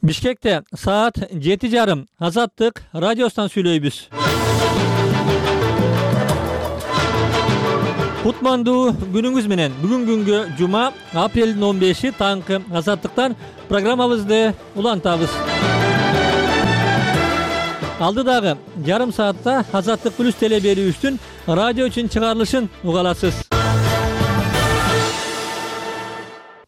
Бишкекте саат жети жарым Азаттык радиосунан сүйлөйбүз. Кутмандуу күнүңүз менен. Бүгүн күнгө жума апрелдин он беши таңкы Азаттыктан программабызды улантабыз. Алдыдагы жарым саатта Азаттык плюс теле берүүбүздүн радио үчүн чыгарылышын уга аласыз.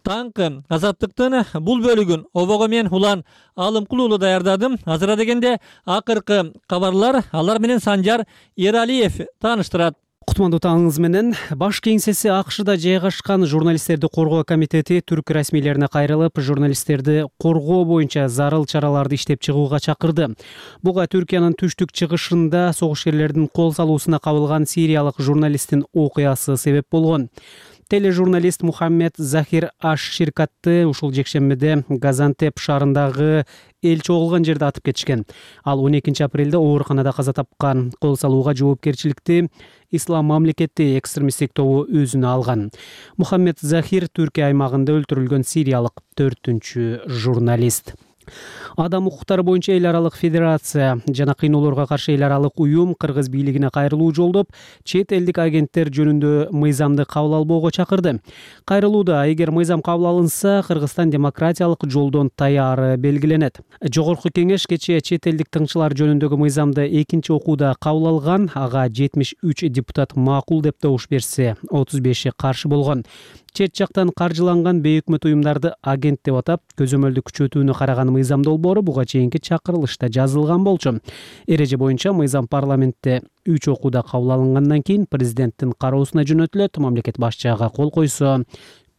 Таңкы Азаттыктын бул бөлүгүн обого мен Улан Алымкул уулу даярдадым. Азыра дегенде акыркы кабарлар алар менен Санжар Эралиев тааныштырат. Кутмандуу таңыңыз менен. Баш кеңсеси АКШда жайгашкан журналисттерди коргоо комитети түрк расмийлерине кайрылып, журналисттерди коргоо боюнча зарыл чараларды иштеп чыгууга чакырды. Буга Түркиянын түштүк чыгышында согушкерлердин кол салуусуна кабылган сириялык журналисттин окуясы себеп болгон. Тележурналист Мухаммед Захир Аш Ширкатты ушул жекшембиде Газантеп шаарындагы эл чогулган жерде атып кетишкен. Ал он экинчи апрелде ооруканада каза тапкан. Кол салууга жоопкерчиликти Ислам мамлекети экстремисттик тобу өзүнө алган. Мухаммед Захир Түркия аймагында өлтүрүлгөн сириялык төртүнчү журналист. Адам укуктары боюнча эл аралык федерация жана кыйноолорго каршы эл аралык уюм кыргыз бийлигине кайрылуу жолдоп, чет элдик агенттер жөнүндө мыйзамды кабыл албоого чакырды. Кайрылууда эгер мыйзам кабыл алынса, Кыргызстан демократиялык жолдон таяры белгиленет. Жогорку кеңеш кечээ чет элдик тыңчылар жөнүндөгү мыйзамды экинчи окууда кабыл алган. Ага жетимиш үч депутат макул деп добуш берсе, отуз беши каршы болгон. Чет жактан каржыланган бейөкмөт уюмдарды агент деп атап, көзөмөлдү күчөтүүнү караган мыйзам долбоору буга чейинки чакырылышта жазылган болчу. Эреже боюнча мыйзам парламентте үч окууда кабыл алынгандан кийин президенттин кароосуна жөнөтүлөт. Мамлекет башчыга кол койсо,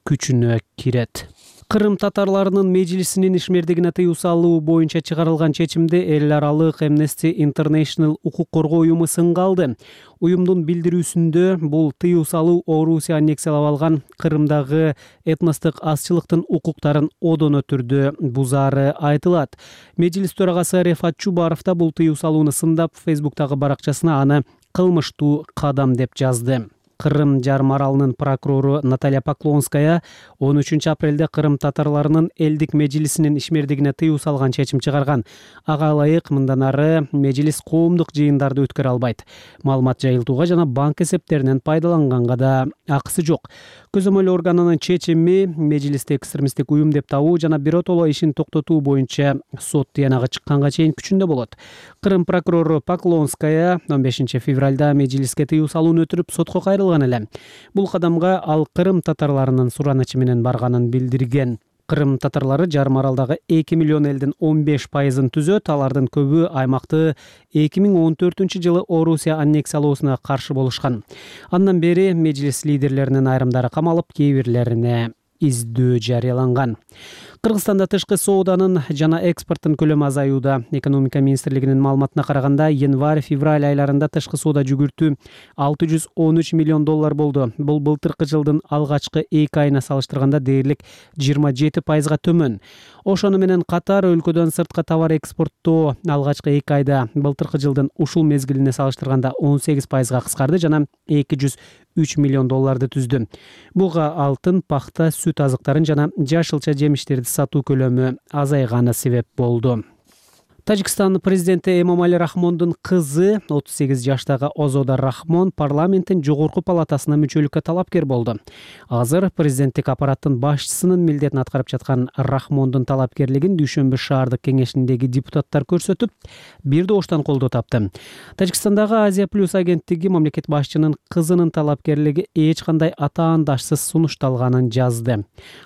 күчүнө кирет. Кырым татарларынын мejlisинин ишмердигине тыюу салуу боюнча чыгарылган чечимде эл аралык Amnesty International укук коргоо уюму сынга алды. Уюмдун билдирүүсүндө бул тыюу салуу Орусия аннексиялап алган Кырымдагы этностук азчылыктын укуктарын одоно түрдө бузаары айтылат. Мejlis төрагасы Рефат Чубаров да бул тыюу салууну сындап, Facebook'тагы баракчасына аны кылмыштуу кадам деп жазды. Кырым жарым аралынын прокурору Наталья Поклонская он үчүнчү апрелде Кырым татарларынын элдик мejlisинин ишмердигине тыюу салган чечим чыгарган. Ага ылайык мындан ары мejlis коомдук жыйындарды өткөрө албайт. Маалымат жайылтууга жана банк эсептеринен пайдаланганга да акысы жок. Көзөмөл органынын чечими мejlisти экстремисттик уюм деп табуу жана биротоло ишин токтотуу боюнча сот тыянагы чыкканга чейин күчүндө болот. Кырым прокурору Поклонская он бешинчи февралда мejlisке тыюу салууну өтүрүп сотко кайрылган. Бул кадамга ал Кырым татарларынын суранычы менен барганын билдирген. Кырым татарлары жарым аралдагы эки миллион элдин он беш пайызын түзөт. Алардын көбү аймакты эки миң он төртүнчү жылы Орусия аннексиялоосуна каршы болушкан. Андан бери мejlis лидерлеринин айрымдары камалып, кээ бирлерине издөө жарыяланган. Кыргызстанда тышкы сооданын жана экспорттун көлөмү азаюуда. Экономика министрлигинин маалыматына караганда, январь-февраль айларында тышкы соода жүгүртүү алты жүз он үч миллион доллар болду. Бул былтыркы жылдын алгачкы эки айына салыштырганда дээрлик жыйырма жети пайызга төмөн. Ошону менен катар өлкөдөн сырткы товар экспорттоо алгачкы эки айда былтыркы жылдын ушул мезгилине салыштырганда он сегиз пайызга кыскарды жана эки жүз үч миллион долларды түздү. Буга алтын, пахта, сүт азыктарын жана жашылча жемиштерди сатуу көлөмү азайганы себеп болду. Тажикстан президенти Эмомали Рахмондун кызы отуз сегиз жаштагы Озода Рахмон парламенттин жогорку палатасына мүчөлүккө талапкер болду. Азыр президенттик аппараттын башчысынын милдетин аткарып жаткан Рахмондун талапкерлигин Дүйшөмбү шаардык кеңешиндеги депутаттар көрсөтүп, бир добуштан колдоо тапты. Тажикстандагы Азия плюс агенттиги мамлекет башчынын кызынын талапкерлиги эч кандай атаандашсыз сунушталганын жазды.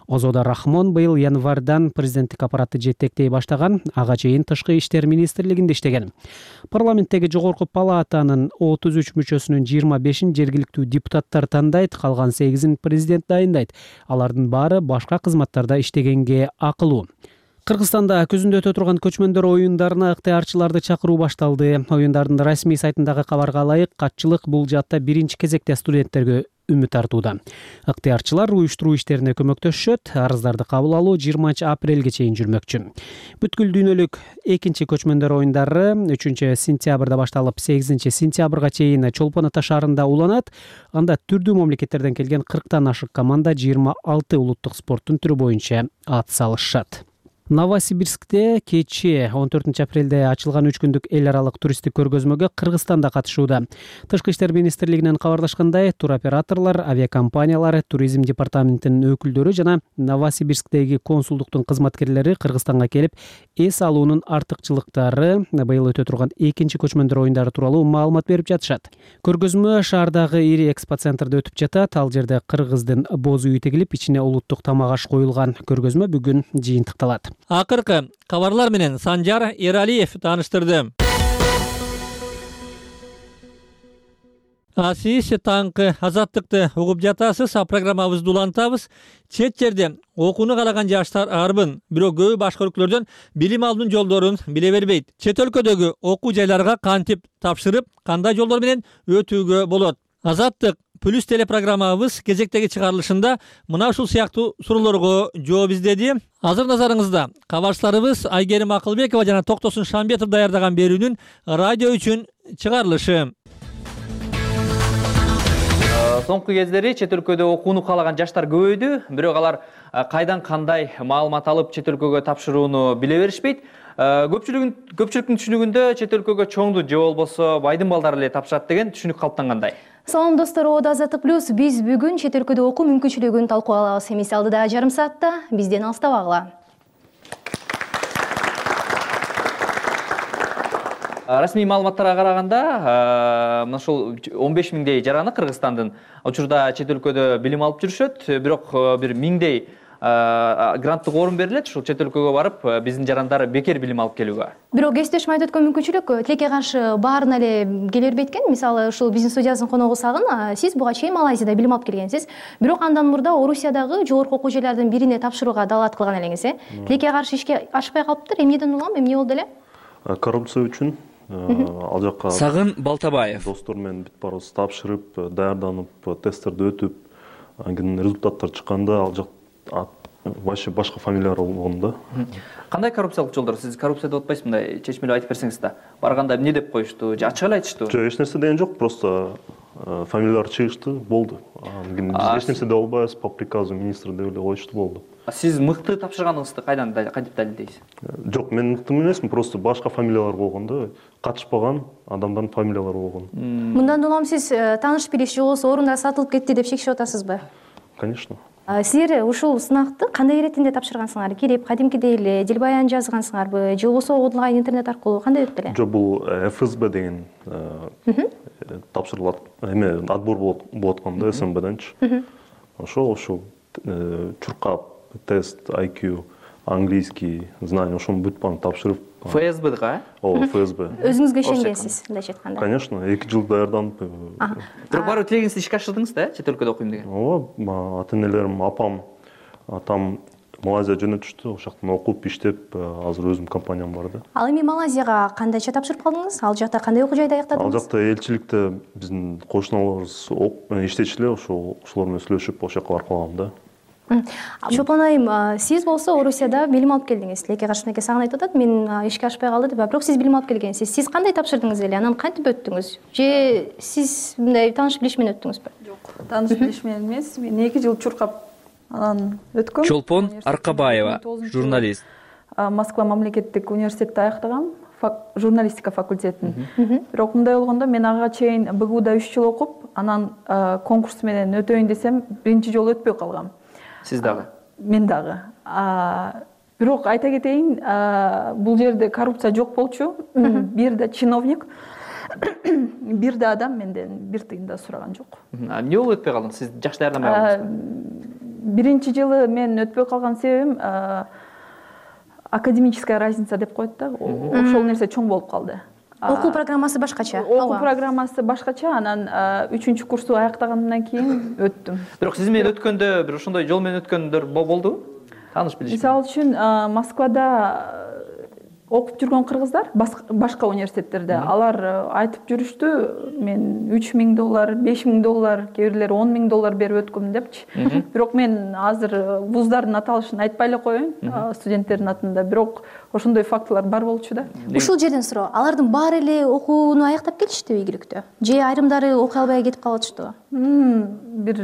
Озода Рахмон быйыл январдан президенттик аппаратты жетектей баштаган, ага чейин тышкы иштер министрлигинде иштеген. Парламенттеги жогорку палатанын отуз үч мүчөсүнүн жыйырма бешин жергиликтүү депутаттар тандайт, калган сегизин президент дайындайт. Алардын баары башка кызматтарда иштегенге акылуу. Кыргызстанда көзүндө өтө турган көчмөндөр оюндарына ыктыярчыларды чакыруу башталды. Оюндардын расмий сайтындагы кабарга ылайык, катчылык бул жаатта биринчи кезекте студенттерге үмүт артууда. Ыктыярчылар уюштуруу иштерине көмөктөшөт. Арыздарды кабыл алуу жыйырманчы апрелге чейин жүрмөкчү. Бүткүл дүйнөлүк экинчи көчмөндөр оюндары үчүнчү сентябрда башталып, сегизинчи сентябрга чейин Чолпон Ата шаарында уланат. Анда түрдүү мамлекеттерден келген кырктан ашык команда жыйырма алты улуттук спорттун түрү боюнча ат салышат. Новосибирскте кечээ он төртүнчү апрелде ачылган үч күндүк эл аралык туристтик көргөзмөгө Кыргызстан да катышууда. Тышкы иштер министрлигинен кабарлашкандай, туроператорлор, авиакомпаниялар, туризм департаментинин өкүлдөрү жана Новосибирсктеги консулдуктун кызматкерлери Кыргызстанга келип, эс алуунун артыкчылыктары, быйыл өтө турган экинчи көчмөндөр оюндары тууралуу маалымат берип жатышат. Көргөзмө шаардагы ири экспо центрде өтүп жатат. Ал жерде кыргыздын боз үйү тегилип, ичине улуттук тамак аш коюлган. Көргөзмө бүгүн жыйынтыкталат. Акыркы кабарлар менен Санжар Эралиев тааныштырды. Сиз таңкы азаттыкты угуп жатасыз, а программабызды улантабыз. Чет жерде окууну каалаган жаштар арбын, бирок көбү башка өлкөлөрдөн билим алуунун жолдорун биле бербейт. Чет өлкөдөгү окуу жайларга кантип тапшырып, кандай жолдор менен өтүүгө болот? Азаттык плюс телепрограммабыз кезектеги чыгарылышында мына ушул сыяктуу суроолорго жооп издеди. Азыр назарыңызда кабарчыларыбыз Айгерим Акылбекова жана Токтосун Шамбетов даярдаган берүүнүн радио үчүн чыгарылышы. Соңку кездери чет өлкөдө окууну каалаган жаштар көбөйдү, бирок алар кайдан кандай маалымат алып чет өлкөгө тапшырууну биле беришпейт. Көпчүлүгүн көпчүлүктүн түшүнүгүндө чет өлкөгө чоңду же болбосо байдын балдары эле тапшырат деген түшүнүк калыптангандай. Салам достор, Ода Азаттык плюс биз бүгүн чет өлкөдө окуу мүмкүнчүлүгүн талкуулабыз. Эмес алдыда жарым саатта бизден алыстабагыла. Расмий маалыматтарга караганда, мына ушул он беш миңдей жараны Кыргызстандын учурда чет өлкөдө билим алып жүрүшөт, бирок бир миңдей гранттык орун берилет, ушул чет өлкөгө барып биздин жарандар бекер билим алып келүүгө. Бирок эстешим айтып өткөн мүмкүнчүлүк тилекке каршы баарына эле келе бербейт экен. Мисалы, ушул биздин студиябыздын коногу Сагын, сиз буга чейин Малайзияда билим алып келгенсиз, бирок андан мурда Орусиядагы жогорку окуу жайлардын бирине тапшырууга далаат кылган элеңиз, э? Тилекке каршы ишке ашпай калыптыр. Эмнеден улам, эмне болду эле? Коррупция үчүн ал жакка Сагын Балтабаев достор менен бүт барыбыз тапшырып, даярданып, тесттерди өтүп, анан результаттар чыкканда ал жак вообще башка фамилиялар болгон да. Кандай коррупциялык жолдор? Сиз коррупция деп атпайсыз, мындай чечмелеп айтып берсеңиз да. Барганда эмне деп коюшту? Же ачык эле айтыштыбы? Жок, эч нерсе деген жок, просто фамилиялар чыгышты, болду. Анан биз эч нерсе деп албайбыз, по приказу министра деп эле коюшту, болду. Сиз мыкты тапшырганыңызды кайдан кантип далилдейсиз? Жок, мен мыкты эмесмин, просто башка фамилиялар болгон да. Катышпаган адамдардын фамилиялары болгон. Мындан улам сиз тааныш билиш же болбосо орундар сатылып кетти деп шекишип атасызбы? Конечно. Силер ушул сынакты кандай иретинде тапшыргансыңар? Кирип, кадимкидей эле дилбаян жазгансыңарбы же болбосо онлайн интернет аркылуу кандай өттү эле? Жок, бул эф эс бэ деген тапшырылат, эме отбор болуп аткан да, эс эм бденчи. Ошол ошол чуркап, тест, ай кью, английский, знание, ошону бүт баарын тапшырып. эф эс бэга, э? Ооба, эф эс бэ. Өзүңүзгө ишенгенсиз, мындайча айтканда. Конечно, эки жыл даярданып. Бирок барып тилегиңизди ишке ашырдыңыз да, чет өлкөдө окуйм деген. Ооба, ата-энелерим, апам, атам Малайзия жөнөтүштү, ошол жактан окуп, иштеп, азыр өзүм компаниям бар да. Ал эми Малайзияга кандайча тапшырып калдыңыз? Ал жакта кандай окуу жайда аяктадыңыз? Ал жакта элчиликте биздин кошуналарыбыз иштечү эле, ошол ошолор менен сүйлөшүп, ошол жака барып калгам да. Чолпон айым, сиз болсо Орусияда билим алып келдиңиз. Тилекке каршы мынакей Сагын айтып атат, мен ишке ашпай калды деп, бирок сиз билим алып келгенсиз. Сиз кандай тапшырдыңыз эле? Анан кантип өттүңүз? Же сиз мындай тааныш билиш менен өттүңүзбү? Жок, тааныш билиш менен эмес. Мен эки жыл чуркап анан өткөм. Чолпон Аркабаева, журналист. Москва мамлекеттик университетти аяктагам, журналистика факультетин. Бирок мындай болгондо мен ага чейин бэ гэ уда үч жыл окуп, анан конкурс менен өтөйүн десем, биринчи жолу өтпөй калгам. Сиз дагы? Мен дагы. Бирок айта кетейин, бул жерде коррупция жок болчу. Бир да чиновник, бир да адам менден бир тыйын да сураган жок. Эмне болуп өтпөй калдыңыз? Сиз жакшы даярданбай калдыңызбы? Биринчи жылы мен өтпөй калган себебим академическая разница деп коет да. Ошол нерсе чоң болуп калды. Окуу программасы башкача. Окуу программасы башкача, анан үчүнчү курсту аяктагандан кийин өттүм. Бирок сиз менен өткөндө бир ошондой жол менен өткөндөр болдубу? Тааныш билиш. Мисалы үчүн Москвада окуп жүргөн кыргыздар башка университеттерде алар айтып жүрүштү, мен үч миң доллар, беш миң доллар, кээ бирлери он миң доллар берип өткөм депчи. Бирок мен азыр вуздардын аталышын айтпай эле коеюн, студенттердин атында, бирок ошондой фактылар бар болчу да. Ушул жерден суроо, алардын баары эле окууну аяктап келиштиби ийгиликтүү? Же айрымдары окуй албай кетип калышты? Бир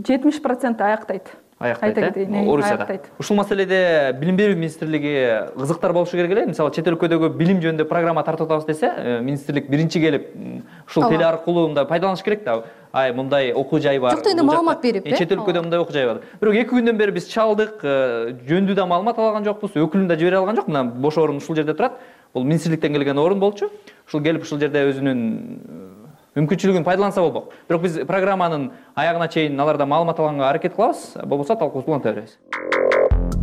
жетимиш процент аяктайт. аяктайт айта кетейин, Орусияда. аяктайт. Ушул маселеде билим берүү министрлиги кызыктар болушу керек эле. Мисалы чет өлкөдөгү билим жөнүндө программа тартып атабыз десе, министрлик биринчи келип ушул теле аркылуу мындай пайдаланыш керек да. Ай, мындай окуу жай бар. Жокто энди маалымат берип, э? Чет өлкөдө мындай окуу жай бар. Бирок эки күндөн бери биз чалдык, жөндүү да маалымат алган жокпуз, өкүлүн да жибере алган жок. Мына бош орун ушул жерде турат. Бул министрликтен келген орун болчу. Ушул келип ушул жерде өзүнүн мүмкүнчүлүгүн пайдаланса болмок. Бирок биз программанын аягына чейин алардан маалымат алганга аракет кылабыз, болбосо талкуубузду уланта беребиз.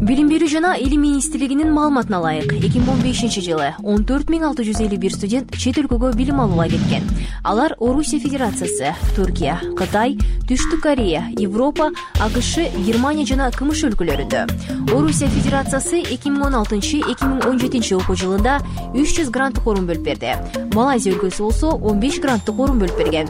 Билим берүү жана илим министрлигинин маалыматына ылайык, эки миң он бешинчи жылы он төрт миң алты жүз элүү бир студент чет өлкөгө билим алууга кеткен. Алар Орусия Федерациясы, Түркия, Кытай, Түштүк Корея, Европа, АКШ, Германия жана КМШ өлкөлөрүндө. Орусия Федерациясы эки миң он алтынчы — эки миң он жетинчи окуу жылында үч жүз гранттык орун бөлүп берди. Малайзия өлкөсү болсо он беш гранттык орун бөлүп берген.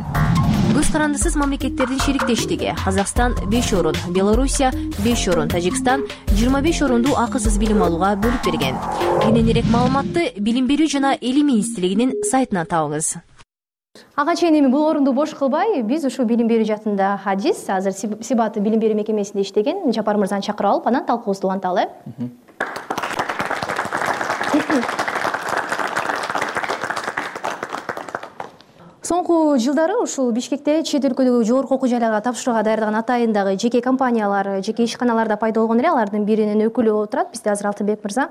Көз карандысыз мамлекеттердин шериктештиги: Казакстан беш орун, Белоруссия беш орун, Тажикстан жыйырма беш орундуу акысыз билим алууга бөлүп берген. Кененирээк маалыматты Билим берүү жана илим министрлигинин сайтынан табыңыз. Ага чейин эми бул орунду бош кылбай, биз ушул билим берүү жаатында Хадис, азыр Сибаты билим берүү мекемесинде иштеген Жапар мырзаны чакырып алып, анан талкуубузду уланталы. Соңку жылдары ушул Бишкекте чет өлкөдөгү жогорку окуу жайларга тапшырууга даярдаган атайындагы жеке компаниялар, жеке ишканаларда пайда болгон эле. Алардын биринин өкүлү отурат бизде азыр Алтынбек мырза.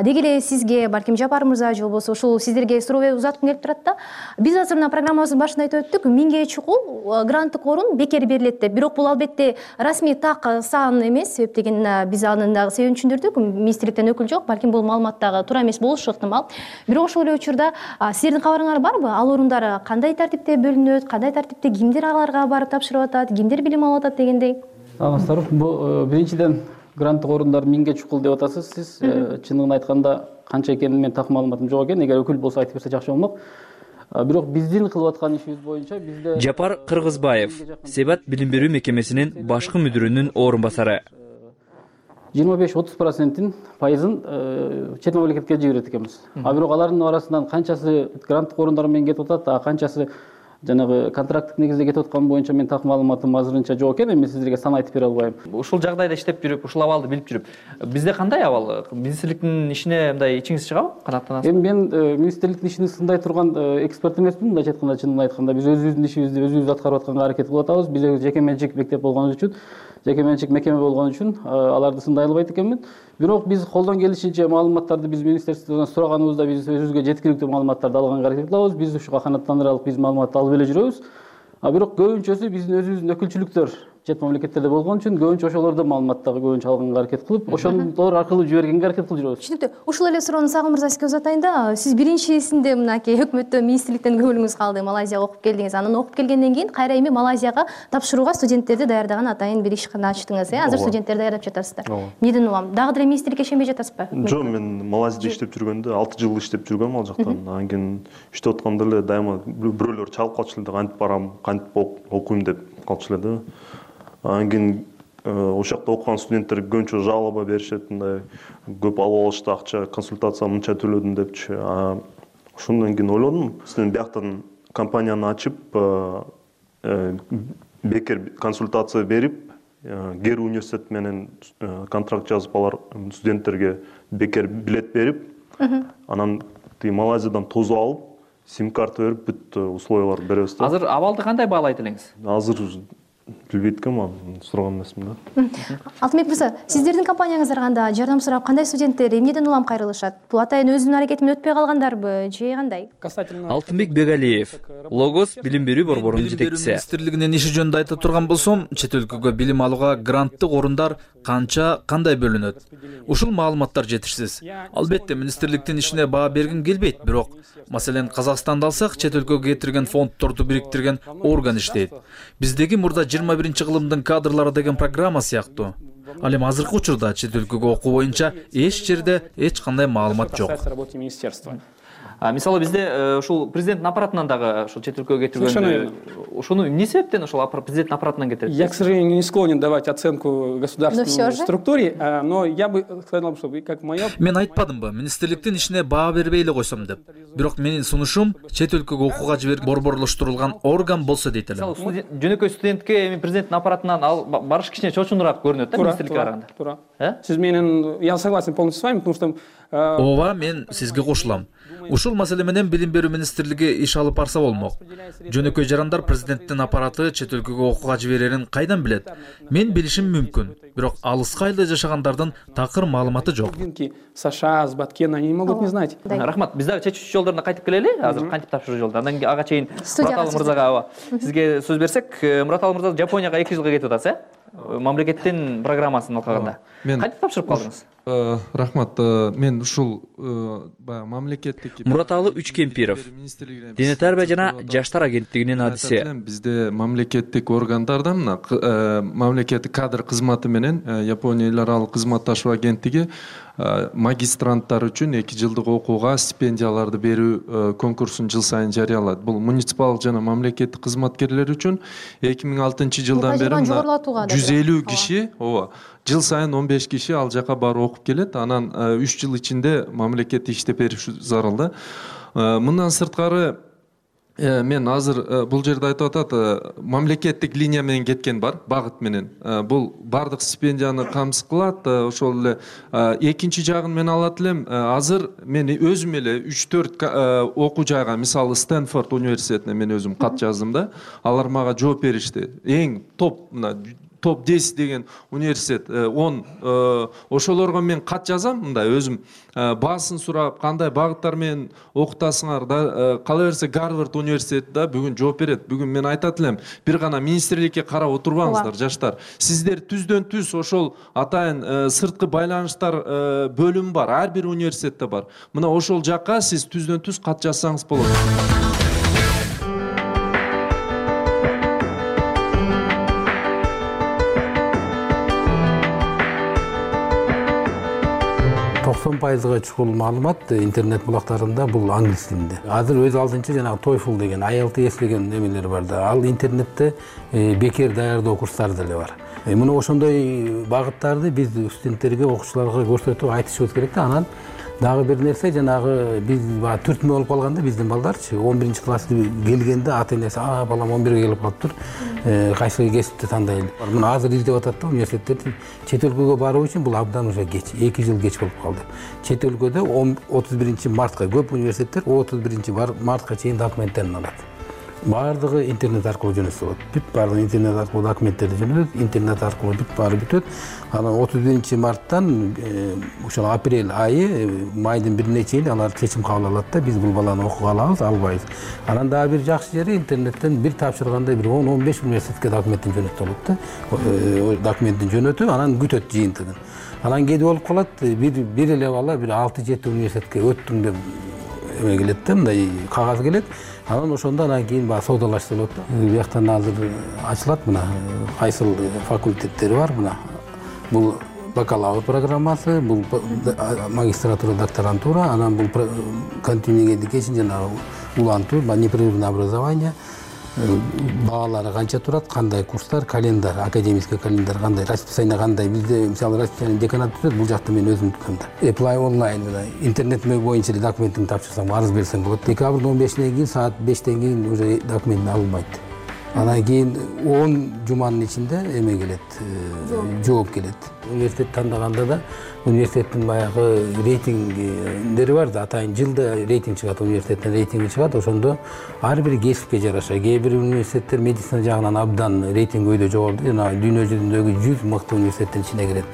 Деги эле сизге, балким Жапар мырза же болбосо ушул сиздерге суроо узаткым келип турат да. Биз азыр мына программабыздын башында айтып өттүк, миңге чукул гранттык орун бекер берилет деп. Бирок бул албетте расмий так сан эмес, себеп деген биз анын дагы себебин түшүндүрдүк. Министрликтен өкүл жок, балким бул маалымат дагы туура эмес болушу ыктымал. Бирок ошол эле учурда сиздердин кабарыңар барбы? Ал орундар кандай тартипте бөлүнөт, кандай тартипте кимдер аларга барып тапшырып атат, кимдер билим алып атат дегендей? Саламатсыздарбы. Бул биринчиден гранттык орундар миңге чукул деп атасыз. Сиз чындыгын айтканда канча экенин мен так маалыматым жок экен. Эгер өкүл болсо айтып берсе жакшы болмок. Бирок биздин кылып аткан ишибиз боюнча бизде Жапар Кыргызбаев, Себат билим берүү мекемесинин башкы мүдүрүнүн орун басары. жыйырма беш отуз проценттин пайызын чет мамлекетке жиберет экенбиз. А бирок алардын арасынан канчасы гранттык орундар менен кетип атат, а канчасы жанагы контракттык негизде кетип аткан боюнча мен так маалыматым азырынча жок экен. Эми сиздерге сан айтып бере албайм. Ушул жагдайда иштеп жүрүп, ушул абалды билип жүрүп, бизде кандай абал? Министрликтин ишине мындай ичиңиз чыгабы? Канааттанасызбы? Эми мен министрликтин ишин сындай турган эксперт эмесмин. Мындайча айтканда, чынын айтканда биз өзүбүздүн ишибизди өзүбүз аткарып атканга аракет кылып атабыз. Биз жеке менчик мектеп болгон үчүн, жеке менчик мекеме болгон үчүн аларды сындай албайт экенмин. Бирок биз колдон келишинче маалыматтарды биз министрликтен сураганыбызда биз өзүбүзгө жеткиликтүү маалыматтарды алганга аракет кылабыз. Биз ушуга канааттандыралык биз маалыматты алып эле жүрөбүз. А бирок көбүнчөсү биздин өзүбүздүн өкүлчүлүктөр чет мамлекеттерде болгон үчүн көбүнчө ошолордон маалыматтарды көбүнчө алганга аракет кылып, ошолор аркылуу жибергенге аракет кылып жүрөбүз. Түшүнүктүү. Ушул эле суроону Сагын мырза сизге узатайын да. Сиз биринчисинде мынакей өкмөттөн, министрликтен көңүлүңүз калды, Малайзияга окуп келдиңиз. Анан окуп келгенден кийин кайра эми Малайзияга тапшырууга студенттерди даярдаган атайын бир ишкана ачтыңыз, э? Азыр студенттер даярдап жатасыздар. Эмнеден улам? Дагы деле министрликке ишенбей жатасызбы? Жок, мен Малайзияда иштеп жүргөндө алты жыл иштеп жүргөм ал жактан. Анан кийин иштеп атканда эле дайыма бирөөлөр чалып калчу эле, кантип барам, кантип окуйм деп калчу эле да. Анан кийин ошол жакта окуган студенттер көбүнчө жалоба беришет, мындай көп алып алышты акча, консультация мынча төлөдүм депчи. Ошондон кийин ойлодум, сиздин бияктан компанияны ачып, бекер консультация берип, Гер университет менен контракт жазып, алар студенттерге бекер билет берип, анан Малайзиядан тозу алып, сим-карта берип, бүт условиялар беребиз да. Азыр абалды кандай баалайт элеңиз? Азыр билбейт экенмин, аны сураган эмесмин да. Алтынбек мырза, сиздердин компанияңыздарга жардам сурап кандай студенттер эмнеден улам кайрылышат? Бул атайын өзүнүн аракети менен өтпөй калгандарбы же кандай? Алтынбек Бегалиев, Логос билим берүү борборунун жетекчиси. Министрлигинин иши жөнүндө айтып турган болсом, чет өлкөгө билим алууга гранттык орундар канча, кандай бөлүнөт? Ушул маалыматтар жетишсиз. Албетте министрликтин ишине баа бергим келбейт, бирок маселен Казакстанды алсак, чет өлкөгө кетирген фонддорду бириктирген орган иштейт. Биздеги мурда жыйырма биринчи кылымдын кадрлары деген программа сыяктуу. Ал эми азыркы учурда чет өлкөгө окуу боюнча эч жерде эч кандай маалымат жок. Мисалы бизде ушул президенттин аппаратынан дагы ушул чет өлкөгө кетирген, ушуну эмне себептен ушул президенттин аппаратынан кетирет? Я, к сожалению, не склонен давать оценку государственной структуре, но я бы сказал, что как моя... Мен айтпадымбы, министрликтин ишине баа бербей эле койсом деп. Бирок менин сунушум чет өлкөгө окууга жиберген борборлоштурулган орган болсо дейт элем. Жөнөкөй студентке эми президенттин аппаратынан барыш кичине чочунураак көрүнөт да. министрликке караганда. Туура. Сиз менен, я согласен полностью с вами, потому что ооба, мен сизге кошулам. Ушул маселе менен билим берүү министрлиги иш алып барса болмок. Жөнөкөй жарандар президенттин аппараты чет өлкөгө окууга жиберерин кайдан билет? Мен билишим мүмкүн, бирок алыска айылда жашагандардын такыр маалыматы жок. США, с Баткена, они не могут не знать. Рахмат, биз дагы чечүү жолдоруна кайтып келели. Азыр кантип тапшыруу жолдо. Андан кийин ага чейин Мураталы мырзага сизге сөз берсек, Мураталы мырза Жапонияга эки жылга кетип атасыз, э? Мамлекеттин программасын алкаганда. Кантип тапшырып калдыңыз? Рахмат, мен ушул баягы мамлекеттик Мураталы Үчкемпиров, Дене тарбия жана жаштар агенттигинин адиси. Бизде мамлекеттик органдардан мына мамлекеттик кадр кызматы менен Япония эл аралык кызматташуу агенттиги магистранттар үчүн эки жылдык окууга стипендияларды берүү конкурсун жыл сайын жарыялайт. Бул муниципал жана мамлекеттик кызматкерлер үчүн эки миң алтынчы жылдан бери жүз элүү киши, ооба, жыл сайын он беш киши ал жака барып окуп келет. Анан үч жыл ичинде мамлекетте иштеп бериш зарыл да. Мындан сырткары мен азыр бул жерде айтып атат, мамлекеттик линия менен кеткен бар, багыт менен. Бул бардык стипендияны камсыз кылат. Ошол эле экинчи жагын мен алат элем. Азыр мен өзүм эле үч төрт окуу жайга, мисалы Стэнфорд университетине мен өзүм кат жаздым да. Алар мага жооп беришти. Эң топ мына топ десять деген университет он, ошолорго мен кат жазам, мындай өзүм баасын сурап, кандай багыттар менен окутасыңар да, кала берсе Гарвард университети да бүгүн жооп берет. Бүгүн мен айтат элем, бир гана министрликке карап отурбаңыздар жаштар. Сиздер түздөн түз ошол атайын сырткы байланыштар бөлүмү бар, ар бир университетте бар. Мына ошол жакка сиз түздөн түз кат жазсаңыз болот. токсон пайызга чукул маалымат интернет булактарында бул англис тилинде. Азыр өз алдынча жанагы TOEFL деген ай эл ти эс деген немелер бар да. Ал интернетте бекер даярдоо курстары деле бар. Мына ошондой багыттарды биз студенттерге, окуучуларга көрсөтүп айтышыбыз керек да. Анан дагы бир нерсе, жанагы биз баягы түртмө болуп калганда биздин балдарчы он биринчи класска келгенде ата энеси а балам он бирге келип калыптыр, кайсы кесипти тандайлы. Мына азыр издеп атат да университеттер. Чет өлкөгө баруу үчүн бул абдан уже кеч, эки жыл кеч болуп калды. Чет өлкөдө отуз биринчи мартка көп университеттер отуз биринчи мартка чейин документтерин алат. Бардыгы интернет аркылуу жөнөтсө болот. Бүт бардыгы интернет аркылуу документтерди жөнөтөт, интернет аркылуу бүт баары бүтөт. Анан отуз биринчи марттан ошол апрель айы, майдын бирине чейин алар чечим кабыл алат да, биз бул баланы окуга алабыз, албайбыз. Анан дагы бир жакшы жери интернеттен бир тапшырганда бир он он беш университетке документин жөнөтүп болот да. Документин жөнөтүп, анан күтөт жыйынтыгын. Анан кээде болуп калат, бир бир эле бала бир алты жети университетке өттүм деп эме келет да, мындай кагаз келет. Анан ошондо анан кийин баягы соодалашса болот да. Бияктан азыр ачылат мына кайсыл факультеттери бар мына. Бул бакалавр программасы, бул магистратура, докторантура, анан бул continuing education жана улантуу, непрерывное образование. Баалары канча турат, кандай курстар, календар, академический календар кандай, расписание кандай. Бизде мисалы расписание деканат түзөт, бул жакта мен өзүм түзөм да. Apply онлайн мына интернет боюнча документин тапшырсаң, арыз берсең болот. Декабрдын он бешинен кийин саат бештен кийин уже документин алынбайт. Анан кийин он жуманын ичинде эме келет, жооп келет. Университет тандаганда да университеттин баягы рейтингдери бар да, атайын жылда рейтинг чыгат, университеттин рейтинги чыгат. Ошондо ар бир кесипке жараша, кээ бир университеттер медицина жагынан абдан рейтинг өйдө жогору, жана дүйнө жүзүндөгү жүз мыкты университеттин ичине кирет.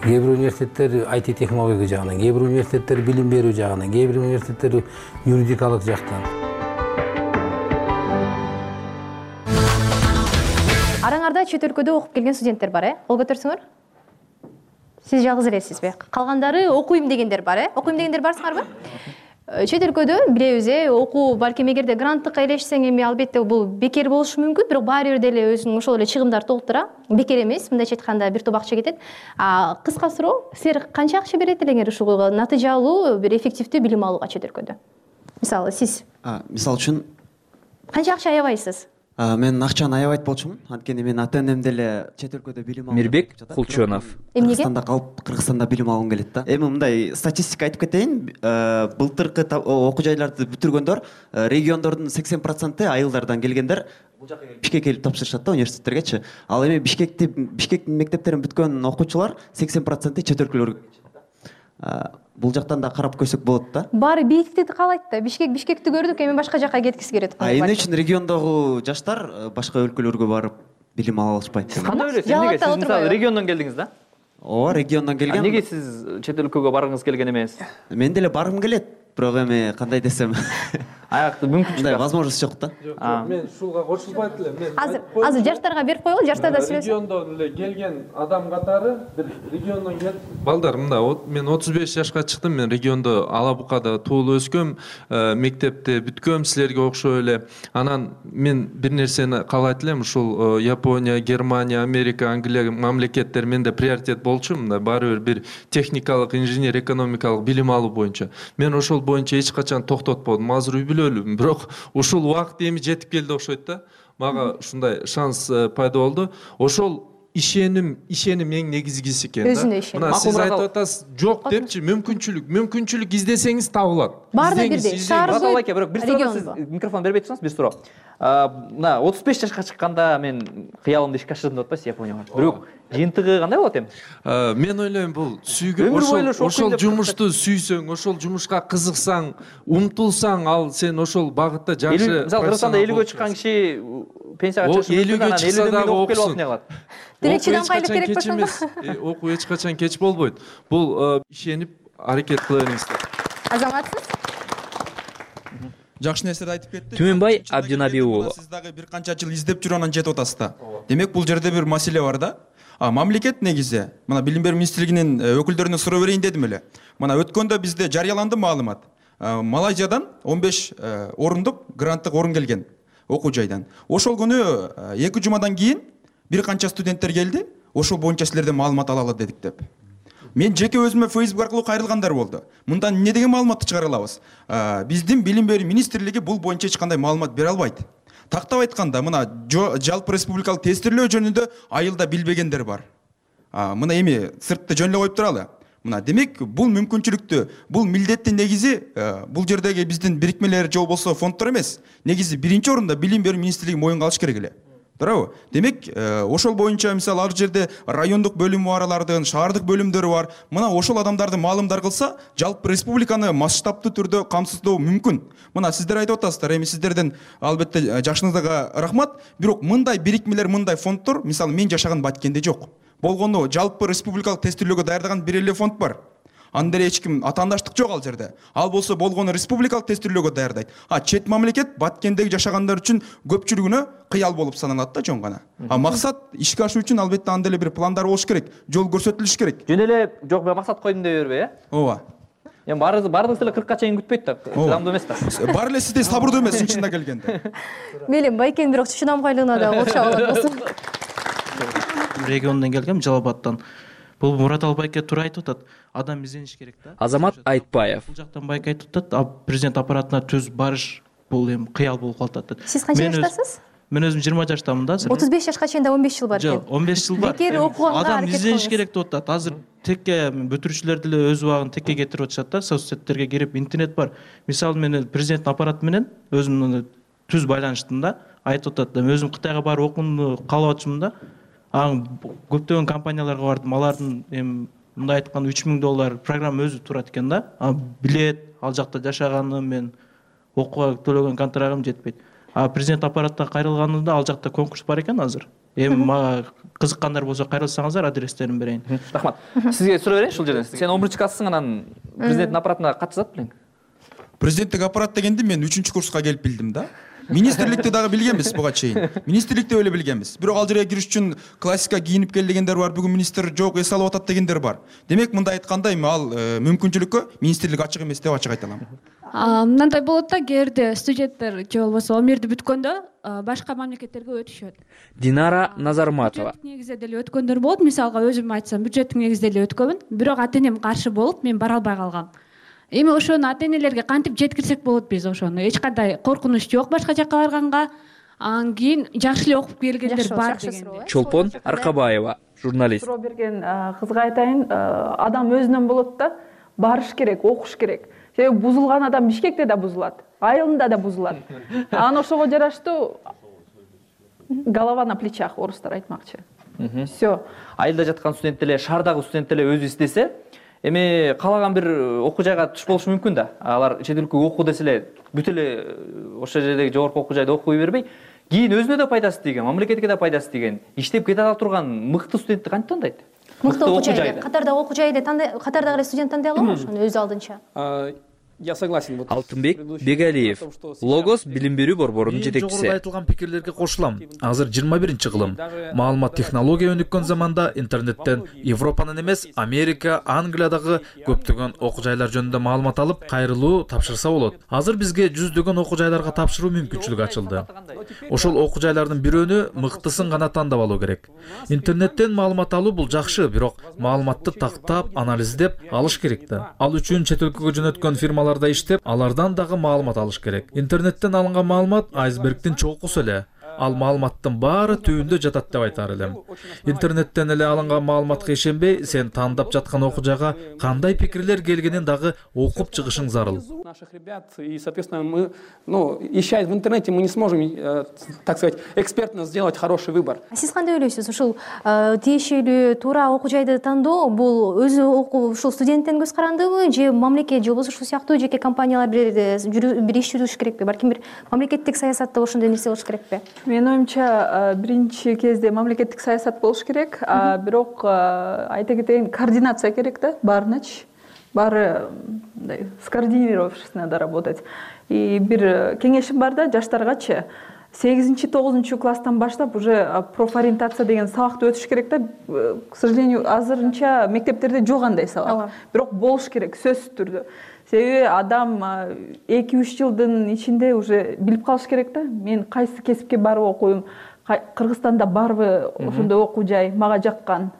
Кээ бир университеттер ай ти технология жагынан, кээ бир университеттер билим берүү жагынан, кээ бир университеттер юридикалык жактан. Араңарда чет өлкөдө окуп келген студенттер бар, э? Кол көтөрсөңөр. Сиз жалгыз элесизби? Калгандары окуйм дегендер бар, э? Окуйм дегендер барсыңарбы? Чет өлкөдө билебиз, э, окуу балким эгерде гранттыкка элешсең эми албетте бул бекер болушу мүмкүн, бирок баары бир деле өзүнүн ошол эле чыгымдарды толтура. Бекер эмес, мындайча айтканда бир топ акча кетет. А кыска суроо, силер канча акча берет элеңер ушул натыйжалуу бир эффективдүү билим алууга чет өлкөдө? Мисалы сиз. Мисалы үчүн канча акча аябайсыз? Мен акчаны аябайт болчумун. Анткени мен ата-энем деле чет өлкөдө билим алып. Мирбек Кулчонов. Кыргызстанда калып, Кыргызстанда билим алгым келет да. Эми мындай статистика айтып кетейин. Былтыркы окуу жайларды бүтүргөндөр, региондордун сексен проценти айылдардан келгендер, бишкекке келип тапшырышат да университеттергечи. Ал эми бишкекти бишкектин мектептерин бүткөн окуучулар сексен проценти чет өлкөлөргө кетишет. Бул жактан да карап көрсөк болот да. Баары бийиктикти каалайт да. Бишкек Бишкекти көрдүк, эми башка жакка кеткиси келет. Эмне үчүн региондогу жаштар башка өлкөлөргө барып билим ала алышпайт? Сиз кандай ойлойсуз? Эмнеге сиз мисалы региондон келдиңиз да? Ооба, региондон келгем. Неге сиз чет өлкөгө баргыңыз келген эмес? Мен деле баргым келет, бирок эми кандай десем, аякты мүмкүнчүлүк возможность жок да. Мен ушуга кошулбайт элем. Мен азыр азыр жаштарга берип коелу, жаштар да сүйлөсүн. Региондон эле келген адам катары бир региондон келип, балдар мында мен отуз беш жашка чыктым, мен региондо Ала Букада туулуп өскөм, мектепти бүткөм силерге окшой эле. Анан мен бир нерсени каалайт элем, ушул Япония, Германия, Америка, Англия мамлекеттер менде приоритет болчу, мында баары бир техникалык, инженер, экономикалык билим алуу боюнча. Мен ошол боюнча эч качан токтотподум. Азыр үй бүлөлүм, бирок ушул убакыт эми жетип келди окшойт да. Мага ушундай шанс пайда болду. Ошол ишеним, ишеним эң негизгиси экен да. Өзүнө ишеним. Мына сиз айтып атасыз, жок депчи, мүмкүнчүлүк, мүмкүнчүлүк издесеңиз табылат. Баарына бирдей. Шаарда байке, бирок бир суроо сиз микрофон бербей турсаңыз, бир суроо. Мына отуз беш жашка чыкканда мен кыялымды ишке ашырдым деп атпайсыз Японияга. Бирок жыйынтыгы кандай болот эми? Мен ойлойм бул сүйгөн ошол ошол жумушту сүйсөң, ошол жумушка кызыксаң, умтулсаң, ал сен ошол багытта жакшы. Мисалы Кыргызстанда элүүгө чыккан киши пенсияга чыгышы мүмкүн, анан элүү миң окуп келип алып эмне кылат? Демек чыдамкайлык керек болсо да. Окуу эч качан кеч болбойт. Бул ишенип аракет кыла бериңиздер. Азаматсыз? Жакшы нерселерди айтып кетти. Түмөнбай Абдинаби уулу. Сиз дагы бир канча жыл издеп жүрүп анан жетип атасыз да. Демек бул жерде бир маселе бар да. А мамлекет негизи, мына билим берүү министрлигинин өкүлдөрүнө суроо берейин дедим эле. Мына өткөндө бизде жарыяланды маалымат. Малайзиядан он беш орундук гранттык орун келген окуу жайдан. Ошол күнү эки жумадан кийин бир канча студенттер келди. Ошол боюнча силерден маалымат ала алат дедик деп. Мен жеке өзүмө Facebook аркылуу кайрылгандар болду. Мындан эмне деген маалыматты чыгара алабыз? Биздин билим берүү министрлиги бул боюнча эч кандай маалымат бере албайт. Тактап айтканда, мына жалпы республикалык тестирлөө жөнүндө айылда билбегендер бар. Мына эми сыртты жөн эле коюп туралы. Мына демек бул мүмкүнчүлүктү, бул милдеттин негизи бул жердеги биздин бирикмелер же болбосо фонддор эмес. Негизи биринчи орунда билим берүү министрлиги моюнга алыш керек эле. Туурабы? Демек, ошол боюнча мисалы ар жерде райондук бөлүм аралардын, шаардык бөлүмдөрү бар. Мына ошол адамдарды маалымдар кылса, жалпы республиканы масштабтуу түрдө камсыздоо мүмкүн. Мына сиздер айтып атасыздар, эми сиздерден албетте жашыңызга рахмат, бирок мындай бирикмелер, мындай фонддор, мисалы мен жашаган Баткенде жок. Болгону жалпы республикалык тестирлөөгө даярдаган бир эле фонд бар. Анда эч ким атаандаштык жок ал жерде. Ал болсо болгону республикалык тестирлөөгө даярдайт. А чет мамлекет Баткендеги жашагандар үчүн көпчүлүгүнө кыял болуп саналат да жон гана. А максат ишке ашуу үчүн албетте анда эле бир пландар болуш керек, жол көрсөтүлүш керек. Жөн эле жок мен максат койдум дей бербей, э? Ооба. Эми баарыбыз баарыбыз эле кыркка чейин күтпөйт да, чыдамдуу эмес да. Баары эле сиздей сабырдуу эмес чынында келгенде. Мейли, Байкенин бирок чыдамкайлыгына да окшоп алат болсун. Региондон келгем, Жалал Абадтан. Бул Мураталы байке туура айтып атат. Адам издениш керек да. Азамат Айтбаев. Бул жактан байке айтып атат, президент аппаратына түз барыш бул эми кыял болуп калып атат. Сиз канча жаштасыз? Мен өзүм жыйырма жаштамын да. отуз беш жашка чейин да он беш жыл бар экен. Жок, он беш жыл бар. Бекер окуганга адам издениш керек деп атат. Азыр текке бүтүрүүчүлөр деле өз убагын текке кетирип атышат да. Соцсеттерге кирип, интернет бар. Мисалы мен президенттин аппараты менен өзүм түз байланыштым да. Айтып атат, өзүм Кытайга барып окууну каалап атчымын да. Аң көптөгөн компанияларга бардым. Алардын эми мындай айтканда үч миң доллар программа өзү турат экен да. А билет, ал жакта жашаганым, мен окууга төлөгөн контрагым жетпейт. А президент аппаратта кайрылганымда ал жакта конкурс бар экен азыр. Эми мага кызыккандар болсо кайрылсаңыздар, адрестерин берейин. Рахмат. Сизге суроо берейин ушул жерден. Сен он биринчи классың, анан президенттин аппаратына катчы зат билең? Президенттик аппарат дегенди мен үчүнчү курска келип билдим да. Министрликти дагы билгенбиз буга чейин. Министрликти эле билгенбиз. Бирок ал жерге кириш үчүн классика кийинип кел дегендер бар, бүгүн министр жок, эс алып атат дегендер бар. Демек мындай айтканда эми ал мүмкүнчүлүккө министрлик ачык эмес деп ачык айта алам. Мындай болот да, кээде студенттер же болбосо Омирди бүткөндө башка мамлекеттерге өтүшөт. Динара Назарматова. Негизде деле өткөндөр болот. Мисалга өзүм айтсам, бюджеттик негизде эле өткөнмүн. Бирок ата-энем каршы болуп, мен бара албай калгам. Эми ошону ата-энелерге кантип жеткирсек болот биз ошону? Эч кандай коркунуч жок башка жакка барганга. Анан кийин жакшы эле окуп келгендер бар деген. Чолпон Аркабаева, журналист. Суроо берген кызга айтайын, адам өзүнөн болот да, барыш керек, окуш керек. Себеби бузулган адам Бишкекте да бузулат, айылында да бузулат. Анан ошого жараштуу голова на плечах, орустар айтмакчы. Все. Айылда жаткан студент эле, шаардагы студент эле өзү издесе, эми каалаган бир окуу жайга туш болушу мүмкүн да. Алар чет өлкөгө окуу десе эле бүт эле ошол жердеги жогорку окуу жайда окуй бербей, кийин өзүнө да пайдасы тийген, мамлекетке да пайдасы тийген, иштеп кете ала турган мыкты студентти кантип тандайт? Мыкты окуу жайды, катардагы окуу жайды тандай, катардагы студент тандай алабы ошону өз алдынча? Я согласен. Алтынбек Бегалиев, Логос билим берүү борборунун жетекчиси. Жогоруда айтылган пикирлерге кошулам. Азыр жыйырма биринчи кылым. Маалымат технология өнүккөн заманда интернеттен Европанын эмес, Америка, Англиядагы көптөгөн окуу жайлар жөнүндө маалымат алып, кайрылуу тапшырса болот. Азыр бизге жүздөгөн окуу жайларга тапшыруу мүмкүнчүлүгү ачылды. Ошол окуу жайлардын бирөөнү мыктысын гана тандап алуу керек. Интернеттен маалымат алуу бул жакшы, бирок маалыматты тактап, анализдеп алыш керек да. Ал үчүн чет өлкөгө жөнөткөн фирма иштеп, алардан дагы маалымат алыш керек. Интернеттен алынган маалымат айсбергдин чокусу эле. Ал маалыматтын баары түбүндө жатат деп айтар элем. Интернеттен эле алынган маалыматка ишенбей, сен тандап жаткан окуу жайга кандай пикирлер келгенин дагы окуп чыгышың зарыл. Наших ребят, и, соответственно, мы, ну, ища в интернете, мы не сможем, так сказать, экспертно сделать хороший выбор. А сиз кандай ойлойсуз? Ушул тиешелүү туура окуу жайды тандоо бул өзү окуу ушул студенттен көз карандыбы, же мамлекет, же болбосо ушул сыяктуу жеке компаниялар бир бир иш жүргүзүш керекпи? Балким бир мамлекеттик саясатта ошондой нерсе болуш керекпи? Менин оюмча биринчи кезде мамлекеттик саясат болуш керек, бирок айта кетейин, координация керек да, баарыначы. Баары мындай скоординировавшись надо работать. И бир кеңешим бар да жаштаргачы. сегизинчи тогузунчу класстан баштап уже профориентация деген сабакты өтүш керек да. К сожалению, азырынча мектептерде жок андай сабак. Бирок болуш керек сөзсүз түрдө. Себеби адам эки үч жылдын ичинде уже билип калыш керек да. Мен кайсы кесипке барып окуйм, Кыргызстанда барбы ошондой окуу жай, мага жаккан.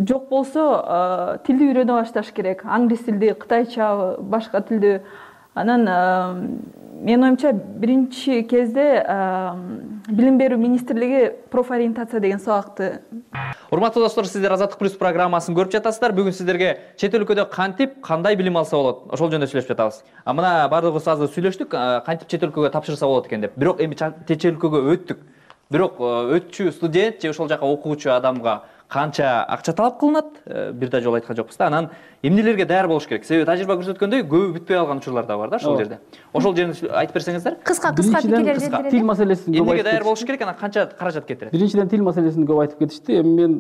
Жок болсо тилди үйрөнө башташ керек. Англис тилди, кытайча, башка тилди. Анан менин оюмча биринчи кезде билим берүү министрлиги профориентация деген сабакты. Урматтуу достор, сиздер Азаттык плюс программасын көрүп жатасыздар. Бүгүн сиздерге чет өлкөдө кантип, кандай билим алса болот, ошол жөнүндө сүйлөшүп жатабыз. А мына бардыгыбыз азыр сүйлөштүк, кантип чет өлкөгө тапшырса болот экен деп. Бирок эми чет өлкөгө өттүк. Бирок өтчү студент же ошол жака окуучу адамга канча акча талап кылынат, бир да жолу айткан жокпуз да. Анан эмнелерге даяр болуш керек? Себеби тажрыйба көрсөткөндөй, көбү бүтпөй алган учурлар да бар да ошол жерде. Ошол жерди айтып берсеңиздер. Кыска кыска пикирлерди. Тил маселесин көп эмнеге даяр болуш керек, анан канча каражат кетирет? Биринчиден тил маселесин көп айтып кетишти. Эми мен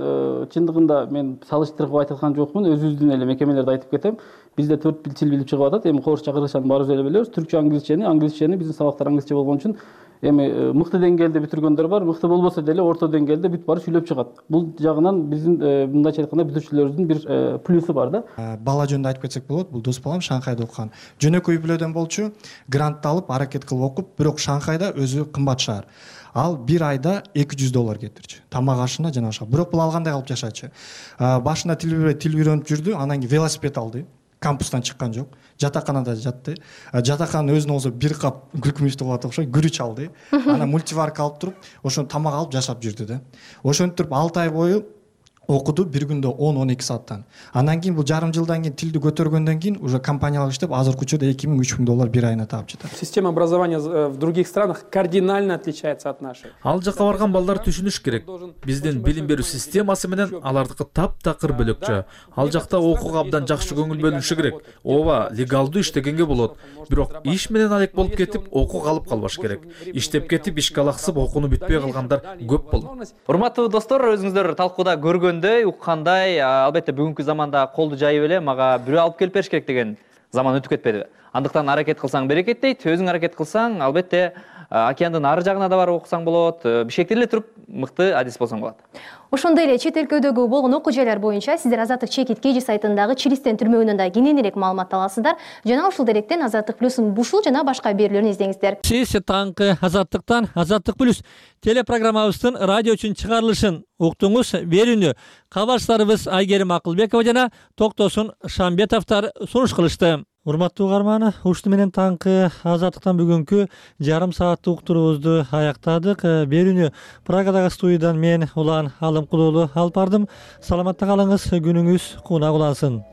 чындыгында мен салыштырып айткан жокмун, өзүбүздүн эле мекемелерди айтып кетем. Бизде төрт тил билип чыгып атат. Эми Орусча, кыргызчаны баарыбыз эле билебиз. Түркчө, англисчени, англисчени биздин сабактар англисче болгон үчүн эми мыкты деңгээлде бүтүргөндөр бар, мыкты болбосо деле орто деңгээлде бүт баары сүйлөп чыгат. Бул жагынан биздин мындайча айтканда бүтүрүүчүлөрүбүздүн бир плюсу бар да. Бала жөнүндө айтып кетсек болот. Бул дос балам Шанхайда окуган. Жөнөкөй үй бүлөдөн болчу, грантты алып, аракет кылып окуп, бирок Шанхайда өзү кымбат шаар. Ал бир айда эки жүз доллар кетирчү. Тамак ашына жана ошо. Бирок бул алгандай кылып жашачы. Башында тил билбей тил үйрөнүп жүрдү, анан кийин велосипед алды. Кампустан чыккан жок. Жатаканада жатты. Жатаканын өзүнө болсо бир кап күлкүмүчтү кылып атат окшойт, күрүч алды. Анан мультиварка алып туруп, ошону тамак алып жашап жүрдү да. Ошентип алты ай бою окуду, бир күндө он он эки сааттан. Андан кийин бул жарым жылдан кийин тилди көтөргөндөн кийин уже компаниялар иштеп, азыркы учурда эки миң үч миң доллар бир айына таап жатат. Система образования в других странах кардинально отличается от нашей. Ал жака барган балдар түшүнүш керек. Биздин билим берүү системасы менен алардыкы таптакыр бөлөкчө. Ал жакта окууга абдан жакшы көңүл бөлүнүшү керек. Ооба, легалдуу иштегенге болот. Бирок иш менен алек болуп кетип, окуу калып калбаш керек. Иштеп кетип, ишке алаксып, окууну бүтпөй калгандар көп болот. Урматтуу достор, өзүңүздөр талкууда көргөндөй, уккандай, албетте бүгүнкү заманда колду жайып эле мага бирөө алып келип бериш керек деген заман өтүп кетпедиби? Андыктан аракет кылсаң берекет дейт, өзүң аракет кылсаң, албетте океандын ары жагына да барып окусаң болот, бишкекте эле туруп мыкты адис болсоң болот. Ошондой эле чет өлкөдөгү болгон окуу жайлар боюнча сиздер Азаттык чекит кей жи сайтындагы Чилистен түрмөгүнөн да кененирээк маалымат аласыздар. Жана ушул деректен Азаттык плюстун ушул жана башка берүүлөрүн издеңиздер. Сиз таңкы Азаттыктан Азаттык плюс телепрограммабыздын радио үчүн чыгарылышын уктуңуз. Берүүнү кабарчыларыбыз Айгерим Акылбекова жана Токтосун Шамбетовдор сунуш кылышты. Урматтуу угарман, ушуну менен таңкы Азаттыктан бүгүнкү жарым сааттык уктуруубузду аяктадык. Берүүнү Прагадагы студиядан мен Улан Алымкулуулу алып бардым. Саламатта калыңыз, күнүңүз кунак улансын.